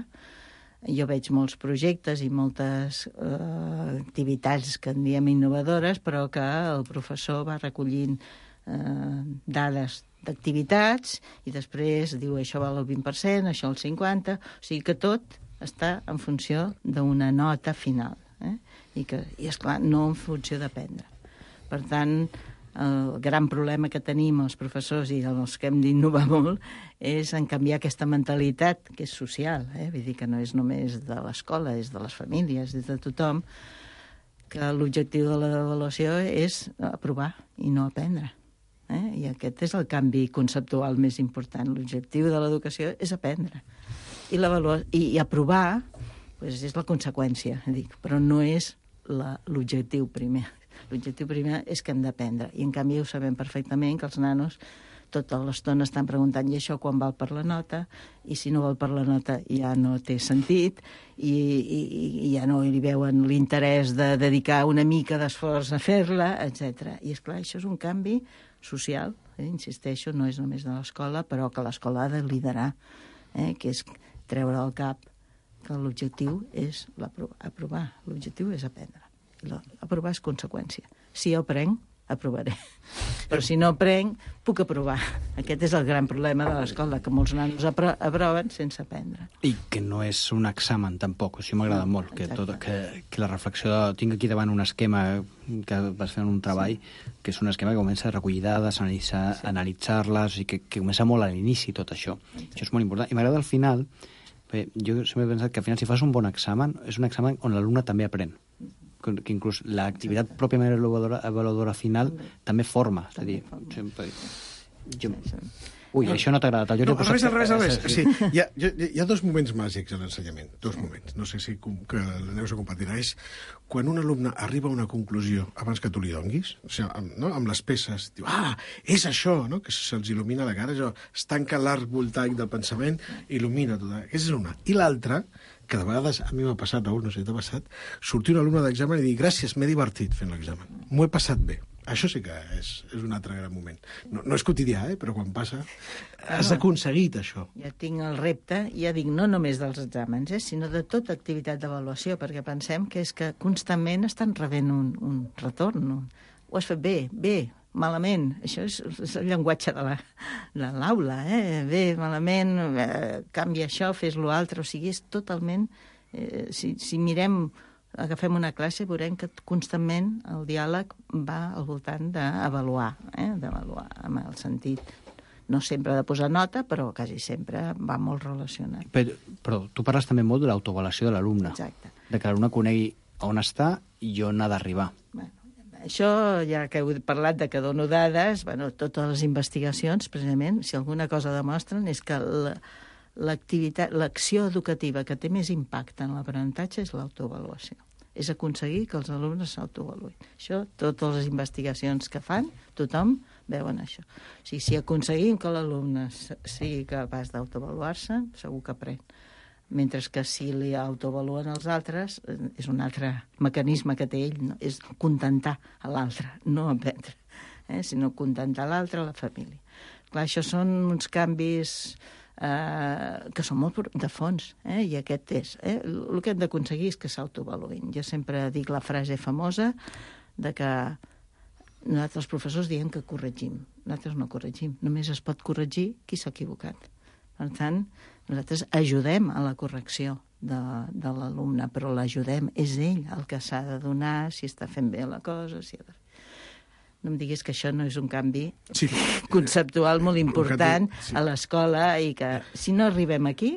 jo veig molts projectes i moltes eh, activitats que en diem innovadores, però que el professor va recollint eh, dades d'activitats i després diu això val el vint per cent, això el cinquanta per cent, o sigui que tot està en funció d'una nota final. Eh? I, que, i esclar, no en funció d'aprendre. Per tant, el gran problema que tenim els professors i els que hem d'innovar molt és en canviar aquesta mentalitat que és social, eh? Vull dir que no és només de l'escola, és de les famílies, és de tothom, que l'objectiu de l'avaluació és aprovar i no aprendre. Eh? I aquest és el canvi conceptual més important. L'objectiu de l'educació és aprendre. I, i, i aprovar pues, és la conseqüència, dic, però no és l'objectiu primer. L'objectiu primer és que hem d'aprendre. I, en canvi, ho sabem perfectament que els nanos tota l'estona estan preguntant i això quan val per la nota, i si no val per la nota ja no té sentit, i, i, i ja no li veuen l'interès de dedicar una mica d'esforç a fer-la, etcètera. I, esclar, això és un canvi social, eh? Insisteixo, no és només de l'escola, però que l'escola ha de liderar, eh? Que és treure al cap que l'objectiu és aprovar. L'objectiu és aprendre. Aprovar és conseqüència. Si jo aprenc, aprovaré. Però si no aprenc, puc aprovar. Aquest és el gran problema de l'escola, que molts nanos apro aproven sense aprendre. I que no és un examen, tampoc. Això m'agrada no, molt, que, tot, que, que la reflexió... De... Tinc aquí davant un esquema que vas fer en un treball, sí. Que és un esquema que comença a recollir dades, analitzar, sí. analitzar-les, i que, que comença molt a l'inici, tot això. Sí. Això és molt important. I m'agrada al final... Bé, jo sempre he pensat que al final si fas un bon examen és un examen on l'alumne també aprèn, que inclús l'activitat pròpiament avaluadora, avaluadora final també forma, és a dir, sempre... Jo... Ui, no, això no t'ha agradat. El no, al revés, al revés, al revés. Sí, hi, ha, hi ha dos moments màgics a l'ensenyament, dos moments. No sé si que la Neus ho compartirà. És quan un alumne arriba a una conclusió abans que tu li donguis, o sigui, amb, no? amb les peces, diu, ah, és això, no? Que se'ls il·lumina la cara, això, es tanca l'arc voltaic del pensament, il·lumina tot. Aquesta és una. I l'altra, que de vegades a mi m'ha passat, Raül, no sé si t'ha passat, sortir un alumne d'examen i dir, gràcies, m'he divertit fent l'examen, m'ho he passat bé. Això sí que és, és un altre gran moment. No, no és quotidià, eh? Però quan passa has aconseguit això. Ja tinc el repte, ja dic, no només dels exàmens, eh? sinó de tota activitat d'avaluació, perquè pensem que és que constantment estan rebent un, un retorn. Un... Ho has fet bé, bé, malament. Això és, és el llenguatge de l'aula. Eh? Bé, malament, eh, canvia això, fes-lo altre. O sigui, és totalment... Eh, si, si mirem... agafem una classe i veurem que constantment el diàleg va al voltant d'avaluar, eh? d'avaluar amb el sentit, no sempre de posar nota, però quasi sempre va molt relacionat. Però, però tu parles també molt de l'autoavaluació de l'alumne. Exacte. De que l'alumne conegui on està i on ha d'arribar. Bueno, això, ja que heu parlat de que dono dades, bueno, totes les investigacions, precisament, si alguna cosa demostren, és que la, l'activitat, l'acció educativa que té més impacte en l'aprenentatge és l'autoavaluació. És aconseguir que els alumnes s'autoavaluïn. Això, totes les investigacions que fan, tothom veuen això. O sigui, si aconseguim que l'alumne sigui capaç d'autoavaluar-se, segur que aprèn. Mentre que si li autoavaluen els altres, és un altre mecanisme que té ell, no? És contentar a l'altre, no aprendre, eh? sinó contentar l'altre, la família. Clar, això són uns canvis... Uh, que són molt de fons, eh? i aquest és. Eh? El que hem d'aconseguir és que s'autoavaluïn. Jo sempre dic la frase famosa de que nosaltres els professors diem que corregim. Nosaltres no corregim, només es pot corregir qui s'ha equivocat. Per tant, nosaltres ajudem a la correcció de, de l'alumne, però l'ajudem, és ell el que s'ha de donar, si està fent bé la cosa, si ha de... No em diguis que això no és un canvi sí. conceptual molt important canvi, sí. a l'escola i que si no arribem aquí,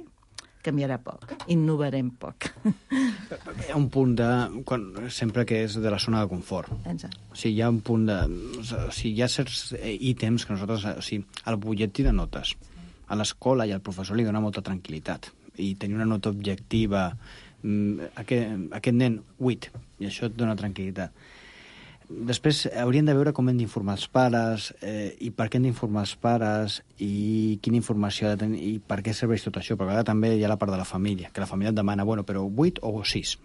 canviarà poc, innovarem poc. Hi ha un punt de... Quan, sempre que és de la zona de confort. Exacte. O sigui, hi ha un punt de... O sigui, hi ha certs ítems que nosaltres... O sigui, el butlletí de notes a l'escola i al professor li dona molta tranquil·litat. I tenir una nota objectiva... Aquest, aquest nen, vuit, i això et dona tranquil·litat. Després haurien de veure com hem d'informar els pares eh, i per què hem d'informar els pares i quina informació ha de tenir i per què serveix tot això, perquè també hi ha la part de la família, que la família et demana, bueno, però vuit o sis.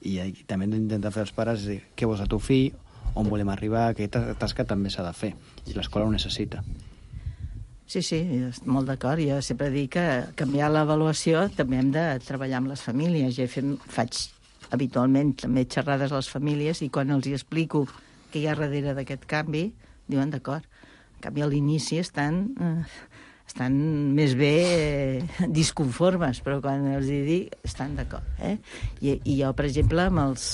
I, i també hem d'intentar fer els pares dir què vols a tu fill, on volem arribar, aquesta tasca també s'ha de fer i l'escola ho necessita. Sí, sí, molt d'acord. Jo sempre dic que canviar l'avaluació també hem de treballar amb les famílies. Jo fem, faig habitualment també xerrades a les famílies i quan els hi explico què hi ha darrere d'aquest canvi, diuen d'acord. En canvi, a l'inici estan, eh, estan més bé eh, disconformes, però quan els hi dic, estan d'acord. Eh? I, I jo, per exemple, amb les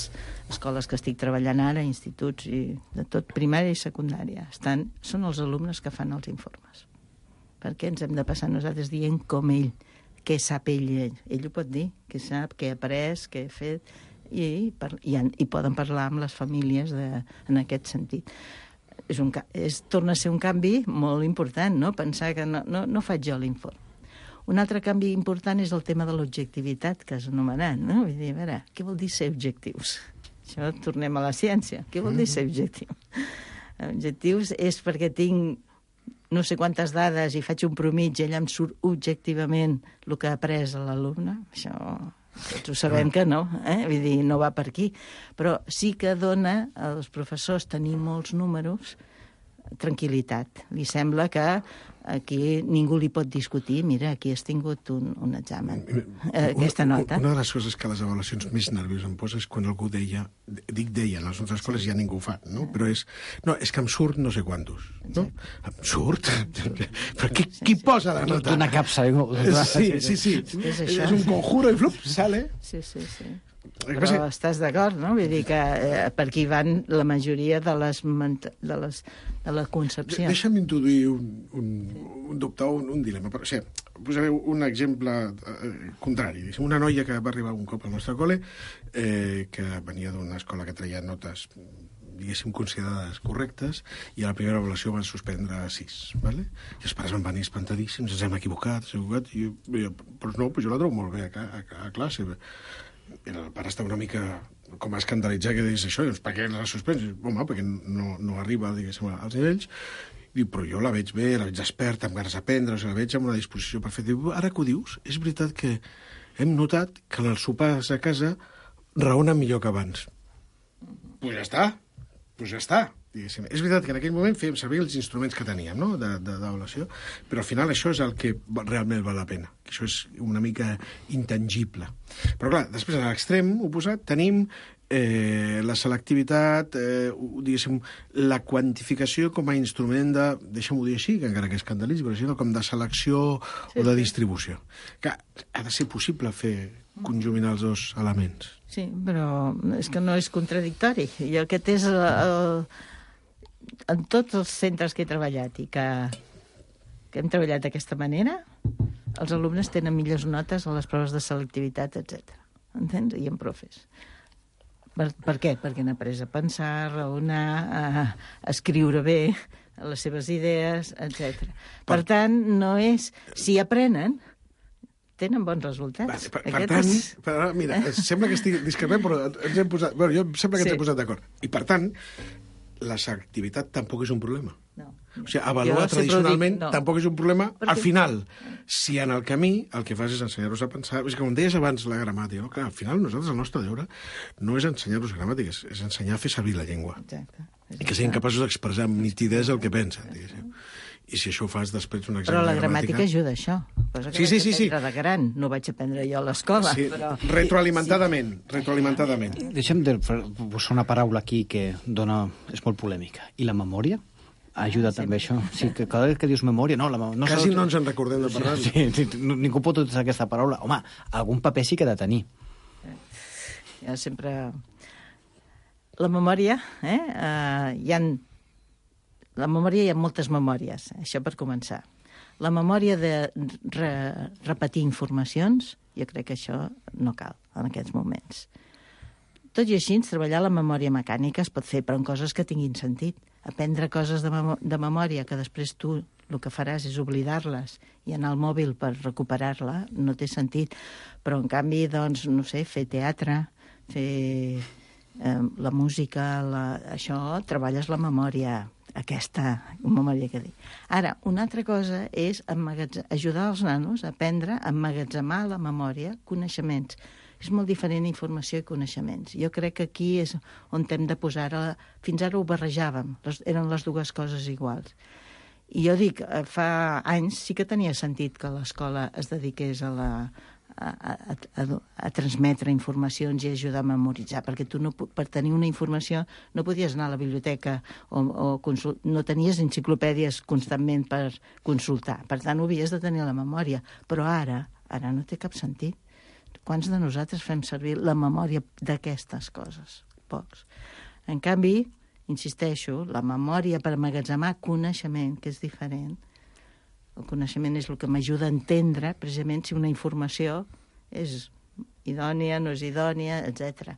escoles que estic treballant ara, instituts i de tot, primària i secundària, estan, són els alumnes que fan els informes. Perquè ens hem de passar nosaltres dient com ell, què sap ell, ell, ell ho pot dir, què sap, què ha après, què ha fet, i, per, i, i poden parlar amb les famílies de, en aquest sentit. És un, és, torna a ser un canvi molt important, no? Pensar que no, no, no faig jo l'informe. Un altre canvi important és el tema de l'objectivitat que has anomenat, no? Vull dir, a veure, què vol dir ser objectius? Això tornem a la ciència. Què vol dir ser objectiu? Objectius és perquè tinc no sé quantes dades i faig un promig i allà em surt objectivament el que ha après l'alumne. Això tots ho sabem que no, eh? Vull dir, no va per aquí. Però sí que dona als professors tenir molts números tranquil·litat. Li sembla que aquí ningú li pot discutir, mira, aquí has tingut un, un examen, eh, aquesta nota. Una de les coses que les avaluacions més nerviós em posa és quan algú deia, dic deia, a les nostres escoles ja ningú ho fa, no? Però és, no, és que em surt no sé quantos, no? Em surt? Però qui, qui posa la nota? Una capsa. Sí, sí, sí. És, és un conjuro i flup, sale. Sí, sí, sí. Però estàs d'acord, no? Vull dir que eh, per aquí van la majoria de les, de les, de les concepcions. De, deixa'm introduir un, un, un dubte o un, un dilema. O sigui, posaré un exemple eh, contrari. Una noia que va arribar un cop al nostre col·le, eh, que venia d'una escola que treia notes diguéssim, considerades correctes, i a la primera avaluació van suspendre sis, ¿vale? I els pares van venir espantadíssims, ens hem equivocat, ens hem equivocat, i jo, jo, però no, però jo la trobo molt bé a, a, a classe. I el pare està una mica com a escandalitzar que digués això, doncs per què la suspens? Home, perquè no, no arriba, diguéssim, als nivells. I, però jo la veig bé, la veig experta, amb ganes d'aprendre, o sigui, la veig amb una disposició perfecta. Diu, ara que ho dius, és veritat que hem notat que en els sopars a casa raona millor que abans. Doncs pues ja està, doncs pues ja està. Diguéssim. És veritat que en aquell moment fèiem servir els instruments que teníem, no?, d'avaluació, però al final això és el que realment val la pena, que això és una mica intangible. Però clar, després a l'extrem oposat tenim eh, la selectivitat, eh, diguéssim, la quantificació com a instrument de, deixa'm-ho dir així, que encara que escandalitzi, però així, com de selecció sí, o de distribució. Que ha de ser possible fer conjuminar els dos elements. Sí, però és que no és contradictori. I aquest és el, el en tots els centres que he treballat i que, que hem treballat d'aquesta manera, els alumnes tenen millors notes a les proves de selectivitat, etcètera. Entens? I en profes. Per, per què? Perquè han après a pensar, a raonar, a, a escriure bé, a les seves idees, etcètera. Per tant, no és... Si aprenen, tenen bons resultats. Per, per, per tant, és... per, mira, sembla que estic discrepant, però ens hem posat... Bueno, jo sembla que ens sí. hem posat d'acord. I per tant, la selectivitat tampoc és un problema. No. O sigui, avaluar tradicionalment dic, no. tampoc és un problema. Perquè... Al final, si en el camí el que fas és ensenyar-los a pensar... És que com deies abans la gramàtica, no? Que al final nosaltres el nostre deure no és ensenyar-los gramàtica, és, és ensenyar a fer servir la llengua. Exacte. I que siguin capaços d'expressar amb nitidesa el que pensen, diguéssim. I si això ho fas després un examen Però la de gramàtica... gramàtica ajuda a això. Cosa que sí, sí, sí, sí. de gran. No vaig aprendre jo a l'escola. Sí. Però... Retroalimentadament. Sí. Retroalimentadament. Deixem de posar una paraula aquí que dona... és molt polèmica. I la memòria? Ajuda ah, també sí. això. Sí, que cada vegada que dius memòria... No, la, no Quasi no ens en recordem de parlar. Sí, sí, sí, ningú pot utilitzar aquesta paraula. Home, algun paper sí que ha de tenir. Ja sempre... La memòria, eh? Uh, hi ha... La memòria hi ha moltes memòries, això per començar. La memòria de re, repetir informacions, jo crec que això no cal en aquests moments. Tot i així, treballar la memòria mecànica es pot fer, però en coses que tinguin sentit. Aprendre coses de, mem de memòria que després tu el que faràs és oblidar-les i anar al mòbil per recuperar-la, no té sentit. Però, en canvi, doncs, no sé, fer teatre, fer eh, la música, la... això, treballes la memòria aquesta memòria que dic. Ara, una altra cosa és ajudar els nanos a aprendre a emmagatzemar la memòria coneixements. És molt diferent informació i coneixements. Jo crec que aquí és on hem de posar... La... Fins ara ho barrejàvem, les... eren les dues coses iguals. I jo dic, fa anys sí que tenia sentit que l'escola es dediqués a la... A, a, a, a transmetre informacions i ajudar a memoritzar, perquè tu no, per tenir una informació no podies anar a la biblioteca o, o consult, no tenies enciclopèdies constantment per consultar, per tant ho havies de tenir a la memòria, però ara, ara no té cap sentit. Quants de nosaltres fem servir la memòria d'aquestes coses? Pocs. En canvi, insisteixo, la memòria per emmagatzemar coneixement, que és diferent. El coneixement és el que m'ajuda a entendre, precisament, si una informació és idònia, no és idònia, etcètera.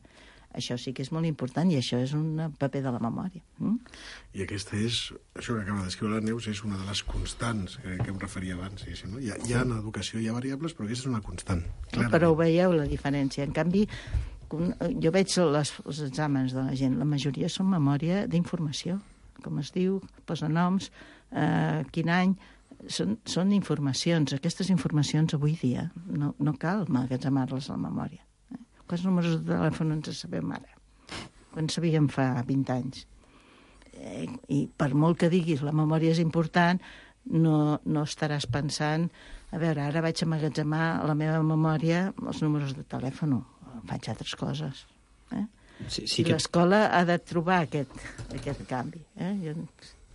Això sí que és molt important i això és un paper de la memòria. Mm? I aquesta és, això que acaba d'escriure la Neus, és una de les constants que, que em referia abans. Sí, no? Hi ha, hi ha en educació, hi ha variables, però aquesta és una constant. Clarament. Però ho veieu, la diferència. En canvi, jo veig les, els exàmens de la gent, la majoria són memòria d'informació. Com es diu, posa noms, eh, quin any... Són, són informacions. Aquestes informacions avui dia no, no cal emmagatzemar-les a la memòria. Eh? Quants números de telèfon ens sabem ara? Quan sabíem fa vint anys? Eh, I per molt que diguis la memòria és important, no, no estaràs pensant a veure, ara vaig emmagatzemar a la meva memòria els números de telèfon. Faig altres coses. Eh? Sí, sí que... L'escola ha de trobar aquest, aquest canvi. Eh? Jo...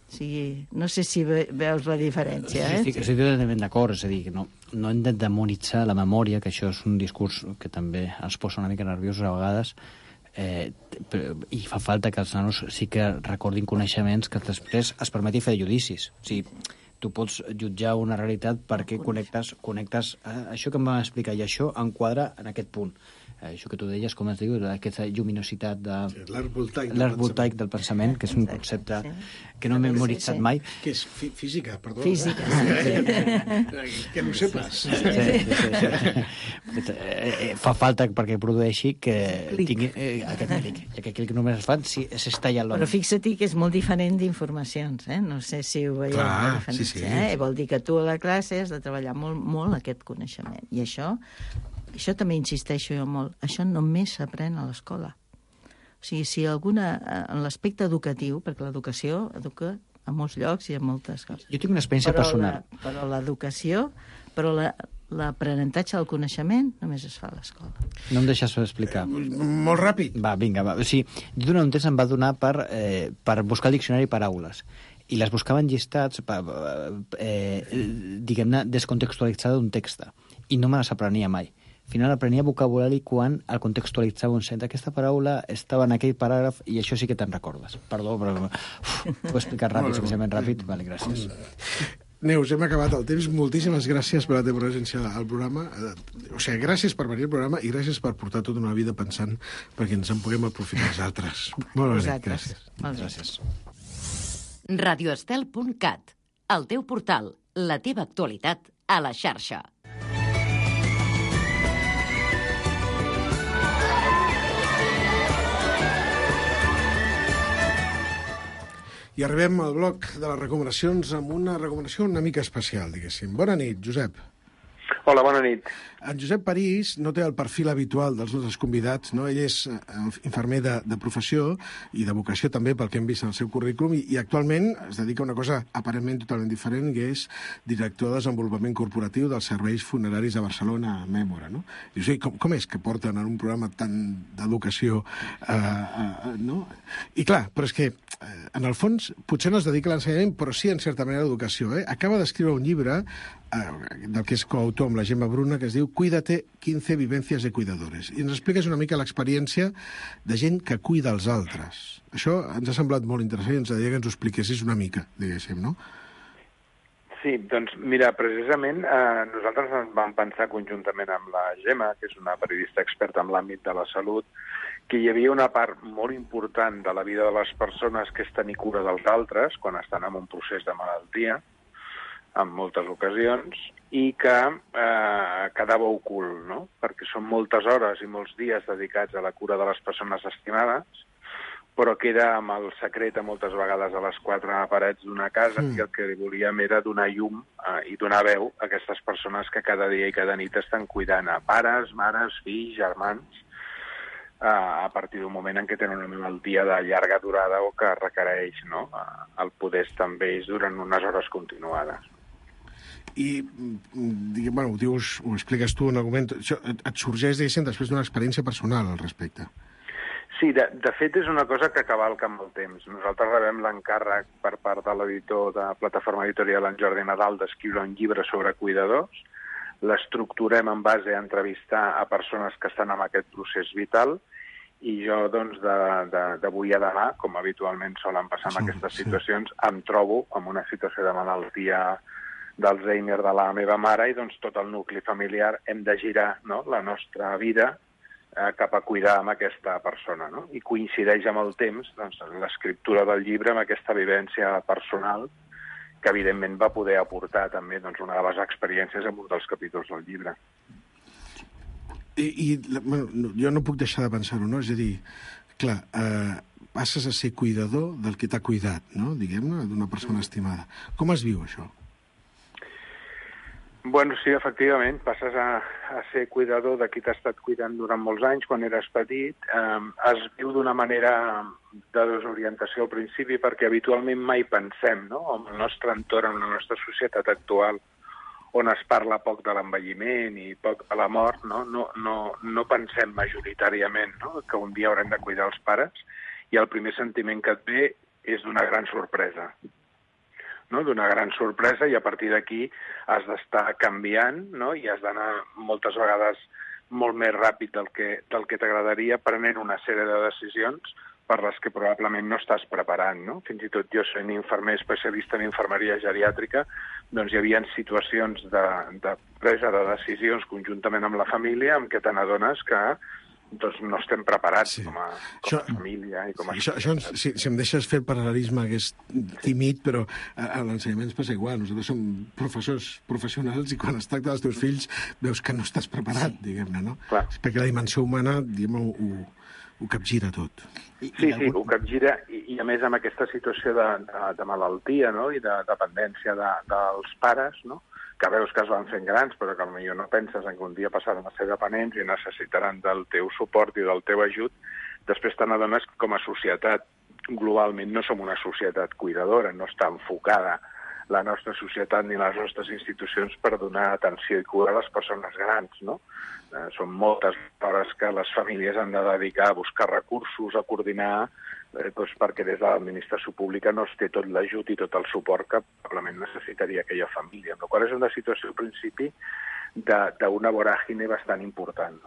Sí, no sé si veus la diferència, eh? Sí, estic totalment d'acord, és a dir, no, no hem de demonitzar la memòria, que això és un discurs que també ens posa una mica nerviosos a vegades, eh, i fa falta que els nanos sí que recordin coneixements que després es permeti fer judicis. O sigui, tu pots jutjar una realitat perquè connectes, connectes eh, això que em va explicar, i això enquadra en aquest punt. Eh, això que tu deies, com es diu, aquesta lluminositat de... Sí, l'arc voltaic, l'arc voltaic del pensament, que és un concepte sí. que no m'he memoritzat sí, sí. mai. Que és fí física, perdó. Física. Sí. Que no ho sepas. Sí, sí, sí, sí. Fa falta perquè produeixi que clic. tingui eh, aquest clic. I aquest clic només es fa si s'estalla l'home. Però fixa-t'hi que és molt diferent d'informacions, eh? No sé si ho veieu. Clar, sí, sí. Eh? Vol dir que tu a la classe has de treballar molt, molt aquest coneixement. I això... Això també insisteixo jo molt. Això només s'aprèn a l'escola. O sigui, si alguna... En l'aspecte educatiu, perquè l'educació educa a molts llocs i a moltes coses. Jo tinc una experiència però personal. La, però l'educació, però l'aprenentatge del coneixement només es fa a l'escola. No em deixes explicar. Eh, molt ràpid. Va, vinga, va. O sigui, jo durant un temps em va donar per, eh, per buscar el diccionari paraules. I les buscava en llistats, per, eh, diguem-ne, descontextualitzada d'un text. I no me les aprenia mai. Al final aprenia vocabulari quan el contextualitzava un centre. Aquesta paraula estava en aquell paràgraf i això sí que te'n recordes. Perdó, però uf, ho he explicat ràpid, suficientment ràpid. Vale, gràcies. Neus, hem acabat el temps. Moltíssimes gràcies per la teva presència al programa. O sigui, gràcies per venir al programa i gràcies per portar tota una vida pensant perquè ens en puguem aprofitar els altres. Molt bé, gràcies. Moltes gràcies. radio estel punt cat, el teu portal, la teva actualitat a la xarxa. I arribem al bloc de les recomanacions amb una recomanació una mica especial, diguéssim. Bona nit, Josep. Hola, bona nit. En Josep París no té el perfil habitual dels nostres convidats, no? Ell és infermer de, de professió i de vocació també, pel que hem vist en el seu currículum, i, i actualment es dedica a una cosa aparentment totalment diferent, que és director de desenvolupament corporatiu dels serveis funeraris de Barcelona, a Mèmora, no? I, o sigui, com, com és que porten en un programa tan d'educació, eh, eh, no? I clar, però és que, eh, en el fons, potser no es dedica a l'ensenyament, però sí, en certa manera, a l'educació, eh? Acaba d'escriure un llibre del que és coautor amb la Gemma Bruna, que es diu Cuídate, quince vivencias de cuidadores. I ens expliques una mica l'experiència de gent que cuida els altres. Això ens ha semblat molt interessant i ens agradaria que ens ho expliquessis una mica, diguéssim, no? Sí, doncs mira, precisament eh, nosaltres ens vam pensar conjuntament amb la Gemma, que és una periodista experta en l'àmbit de la salut, que hi havia una part molt important de la vida de les persones que és tenir cura dels altres quan estan en un procés de malaltia, en moltes ocasions, i que eh, quedava ocult, no? Perquè són moltes hores i molts dies dedicats a la cura de les persones estimades, però queda amb el secret a moltes vegades a les quatre parets d'una casa mm. i el que volíem era donar llum eh, i donar veu a aquestes persones que cada dia i cada nit estan cuidant a pares, mares, fills, germans, eh, a partir d'un moment en què tenen una malaltia de llarga durada o que requereix, no? el poder estar amb ells durant unes hores continuades. I, diguem, bueno, ho, dius, ho expliques tu en algun moment, això et, et sorgeix, diguéssim, després d'una experiència personal al respecte. Sí, de, de fet és una cosa que cavalca amb el temps. Nosaltres rebem l'encàrrec per part de l'editor de Plataforma Editorial, en Jordi Nadal, d'escriure un llibre sobre cuidadors. L'estructurem en base a entrevistar a persones que estan en aquest procés vital i jo, doncs, d'avui a demà, com habitualment solen passar en aquestes sí, situacions, sí. em trobo en una situació de malaltia d'Alzheimer de la meva mare i doncs tot el nucli familiar hem de girar, no?, la nostra vida eh, cap a cuidar amb aquesta persona, no? I coincideix amb el temps, doncs, l'escriptura del llibre amb aquesta vivència personal que evidentment va poder aportar també, doncs, una de les experiències en un dels capítols del llibre. I, i bueno, jo no puc deixar de pensar-ho, no? És a dir, clar, eh, passes a ser cuidador del que t'ha cuidat, no?, diguem-ne, d'una persona estimada. Com es viu això? Bueno, sí, efectivament, passes a, a ser cuidador de qui t'ha estat cuidant durant molts anys, quan eres petit. Eh, es viu d'una manera de desorientació al principi, perquè habitualment mai pensem, no?, en el nostre entorn, en la nostra societat actual, on es parla poc de l'envelliment i poc de la mort, no? No, no, no pensem majoritàriament, no?, que un dia haurem de cuidar els pares, i el primer sentiment que et ve és d'una gran sorpresa. No? D'una gran sorpresa, i a partir d'aquí has d'estar canviant, no? I has d'anar moltes vegades molt més ràpid del que, del que t'agradaria, prenent una sèrie de decisions per les que probablement no estàs preparant, no? Fins i tot jo, sent infermer especialista en infermeria geriàtrica, doncs hi havia situacions de, de presa de decisions conjuntament amb la família en què te n'adones que doncs no estem preparats sí. com, a, com això, a família i com a... Sí, això, això, si, si em deixes fer el paral·lelisme, que és tímid, però a, a l'ensenyament ens passa igual. Nosaltres som professors professionals i quan es tracta dels teus fills veus que no estàs preparat, sí. diguem-ne, no? Clar. Perquè la dimensió humana, diguem, ho, ho capgira tot. I, sí, sí, algun... ho capgira, i, i a més amb aquesta situació de, de, de malaltia, no?, i de dependència de, dels pares, no?, que veus que es van fent grans, però que potser no penses en que un dia passaran a ser dependents i necessitaran del teu suport i del teu ajut, després te n'adones que com a societat, globalment, no som una societat cuidadora, no està enfocada la nostra societat ni les nostres institucions per donar atenció i cura a les persones grans, no? Eh, són moltes hores que les famílies han de dedicar a buscar recursos, a coordinar, eh, doncs perquè des de l'administració pública no es té tot l'ajut i tot el suport que probablement necessitaria aquella família. Amb la qual és una situació, al principi, d'una voràgine bastant important.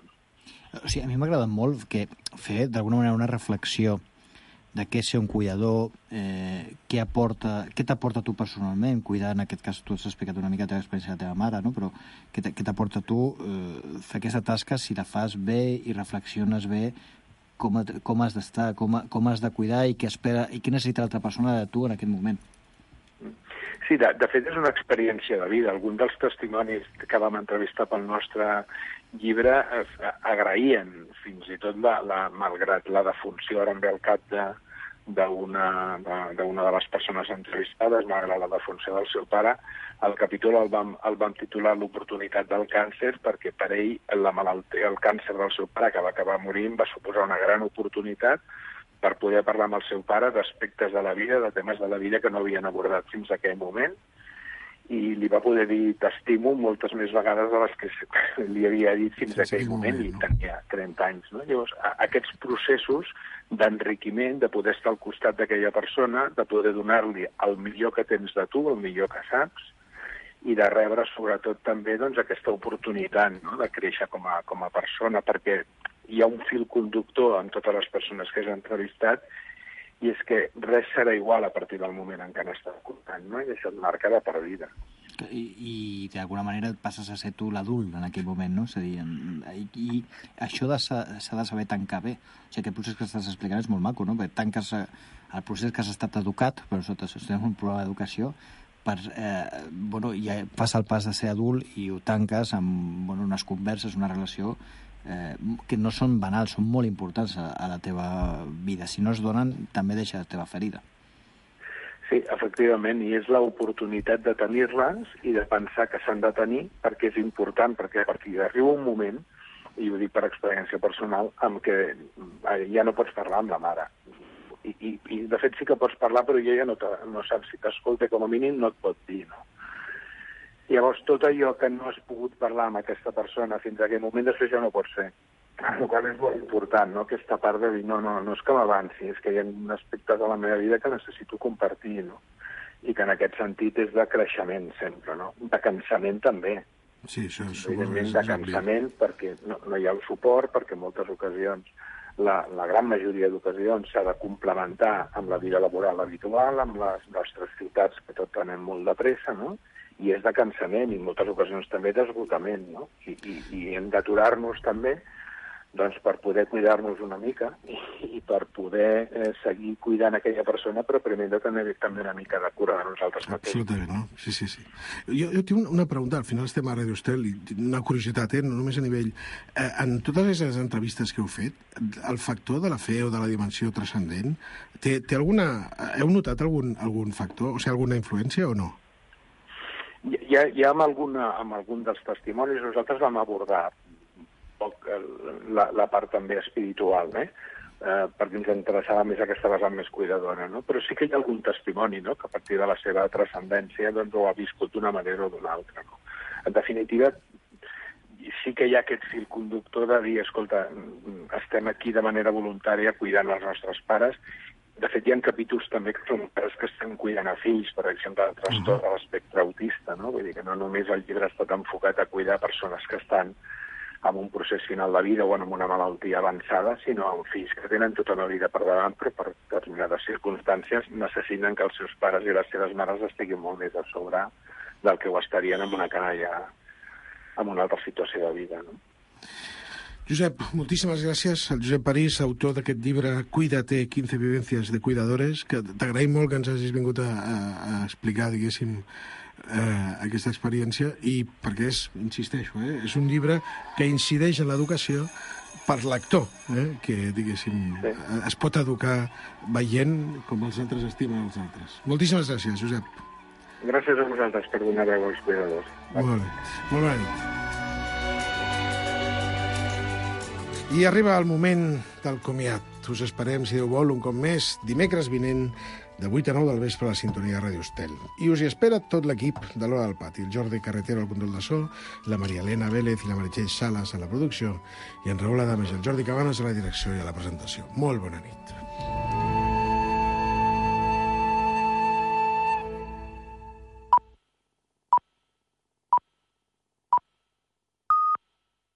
O sigui, a mi m'ha agradat molt que fer, d'alguna manera, una reflexió de què és ser un cuidador, eh, què aporta, què t'aporta tu personalment, cuidar, en aquest cas tu has explicat una mica la teva experiència de la teva mare, no? Però què t'aporta tu eh, fer aquesta tasca si la fas bé i reflexiones bé com, com has d'estar, com, com has de cuidar i què espera i què necessita l'altra persona de tu en aquest moment. Sí, de, de fet és una experiència de vida. Alguns dels testimonis que vam entrevistar pel nostre llibre agraïen fins i tot, la, la, malgrat la defunció, ara em ve al cap d'una de, de, de les persones entrevistades, malgrat la defunció del seu pare, el capítol el vam, el vam titular l'oportunitat del càncer, perquè per ell la malaltia, el càncer del seu pare, que va acabar morint, va suposar una gran oportunitat per poder parlar amb el seu pare d'aspectes de la vida, de temes de la vida que no havien abordat fins a aquell moment, i li va poder dir t'estimo moltes més vegades de les que li havia dit fins a aquell moment, i tenia trenta anys. No? Llavors, aquests processos d'enriquiment, de poder estar al costat d'aquella persona, de poder donar-li el millor que tens de tu, el millor que saps, i de rebre sobretot també doncs, aquesta oportunitat, no?, de créixer com a, com a persona, perquè hi ha un fil conductor amb totes les persones que has entrevistat, i és que res serà igual a partir del moment en què n'estàs comptant, no? I això et marca de per vida. I, i d'alguna manera passes a ser tu l'adult en aquell moment, no? És a dir, i, i això s'ha de saber tancar bé. O sigui, aquest procés que estàs explicant és molt maco, no? Perquè tanques el procés que has estat educat, però nosaltres estem en un programa d'educació, per, eh, bueno, ja passa el pas de ser adult i ho tanques amb bueno, unes converses, una relació Eh, que no són banals, són molt importants a, a la teva vida. Si no es donen, també deixa la teva ferida. Sí, efectivament, i és l'oportunitat de tenir-les i de pensar que s'han de tenir perquè és important, perquè a partir d'arriba un moment, i ho dic per experiència personal, amb què ja no pots parlar amb la mare. I, i, i de fet sí que pots parlar, però ella ja no, no saps si t'escolta, com a mínim no et pot dir, no? Llavors, tot allò que no has pogut parlar amb aquesta persona fins a aquell moment, després ja no pot ser. El qual és molt important, no?, aquesta part de dir, no, no, no és que m'avanci, és que hi ha aspectes de la meva vida que necessito compartir, no? I que en aquest sentit és de creixement sempre, no? De cansament també. Sí, això és... Evidentment, de cansament, perquè no, no hi ha el suport, perquè en moltes ocasions, la, la gran majoria d'ocasions, s'ha de complementar amb la vida laboral habitual, amb les nostres ciutats, que tot anem molt de pressa, no?, i és de cansament i en moltes ocasions també d'esgotament, no? I, i, i hem d'aturar-nos també doncs, per poder cuidar-nos una mica i, i per poder eh, seguir cuidant aquella persona, però primer hem de tenir també una mica de cura de nosaltres mateixos. Absolutament, no? Sí, sí, sí. Jo, jo tinc una pregunta, al final estem a Radio Estel, i una curiositat, eh? No només a nivell... Eh, en totes les entrevistes que heu fet, el factor de la fe o de la dimensió transcendent, té, té alguna... heu notat algun, algun factor, o sigui, alguna influència o no? Ja, ja amb, alguna, amb algun dels testimonis nosaltres vam abordar poc la, la part també espiritual, eh? Eh, perquè ens interessava més aquesta vessant més cuidadora, no? Però sí que hi ha algun testimoni, no?, que a partir de la seva transcendència doncs, ho ha viscut d'una manera o d'una altra, no? En definitiva, sí que hi ha aquest fil conductor de dir, escolta, estem aquí de manera voluntària cuidant els nostres pares. De fet, hi ha capítols també que són pares que estan cuidant a fills, per exemple, del trastorn de l'espectre autista, no? Vull dir que no només el llibre ha estat enfocat a cuidar persones que estan amb un procés final de vida o amb una malaltia avançada, sinó amb fills que tenen tota una vida per davant, però per determinades circumstàncies necessiten que els seus pares i les seves mares estiguin molt més a sobre del que ho estarien amb una canalla, amb una altra situació de vida, no? Josep, moltíssimes gràcies. El Josep París, autor d'aquest llibre Cuídate, quince vivencias de cuidadores, que t'agraïm molt que ens hagis vingut a, a, a explicar, diguéssim, eh, aquesta experiència, i perquè és, insisteixo, eh, és un llibre que incideix en l'educació per l'actor, eh, que, diguéssim, sí. es pot educar veient com els altres estimen els altres. Moltíssimes gràcies, Josep. Gràcies a vosaltres per donar veu als cuidadors. Molt bé. Molt bona nit. I arriba el moment del comiat. Us esperem, si Déu vol, un cop més, dimecres vinent, de vuit a nou del vespre a la sintonia de Ràdio Estel. I us hi espera tot l'equip de l'Hora del Pati. El Jordi Carretero al control de so, la Maria Elena Vélez i la Meritxell Sales a la producció, i en Raül Adames i el Jordi Cabanes a la direcció i a la presentació. Molt bona nit.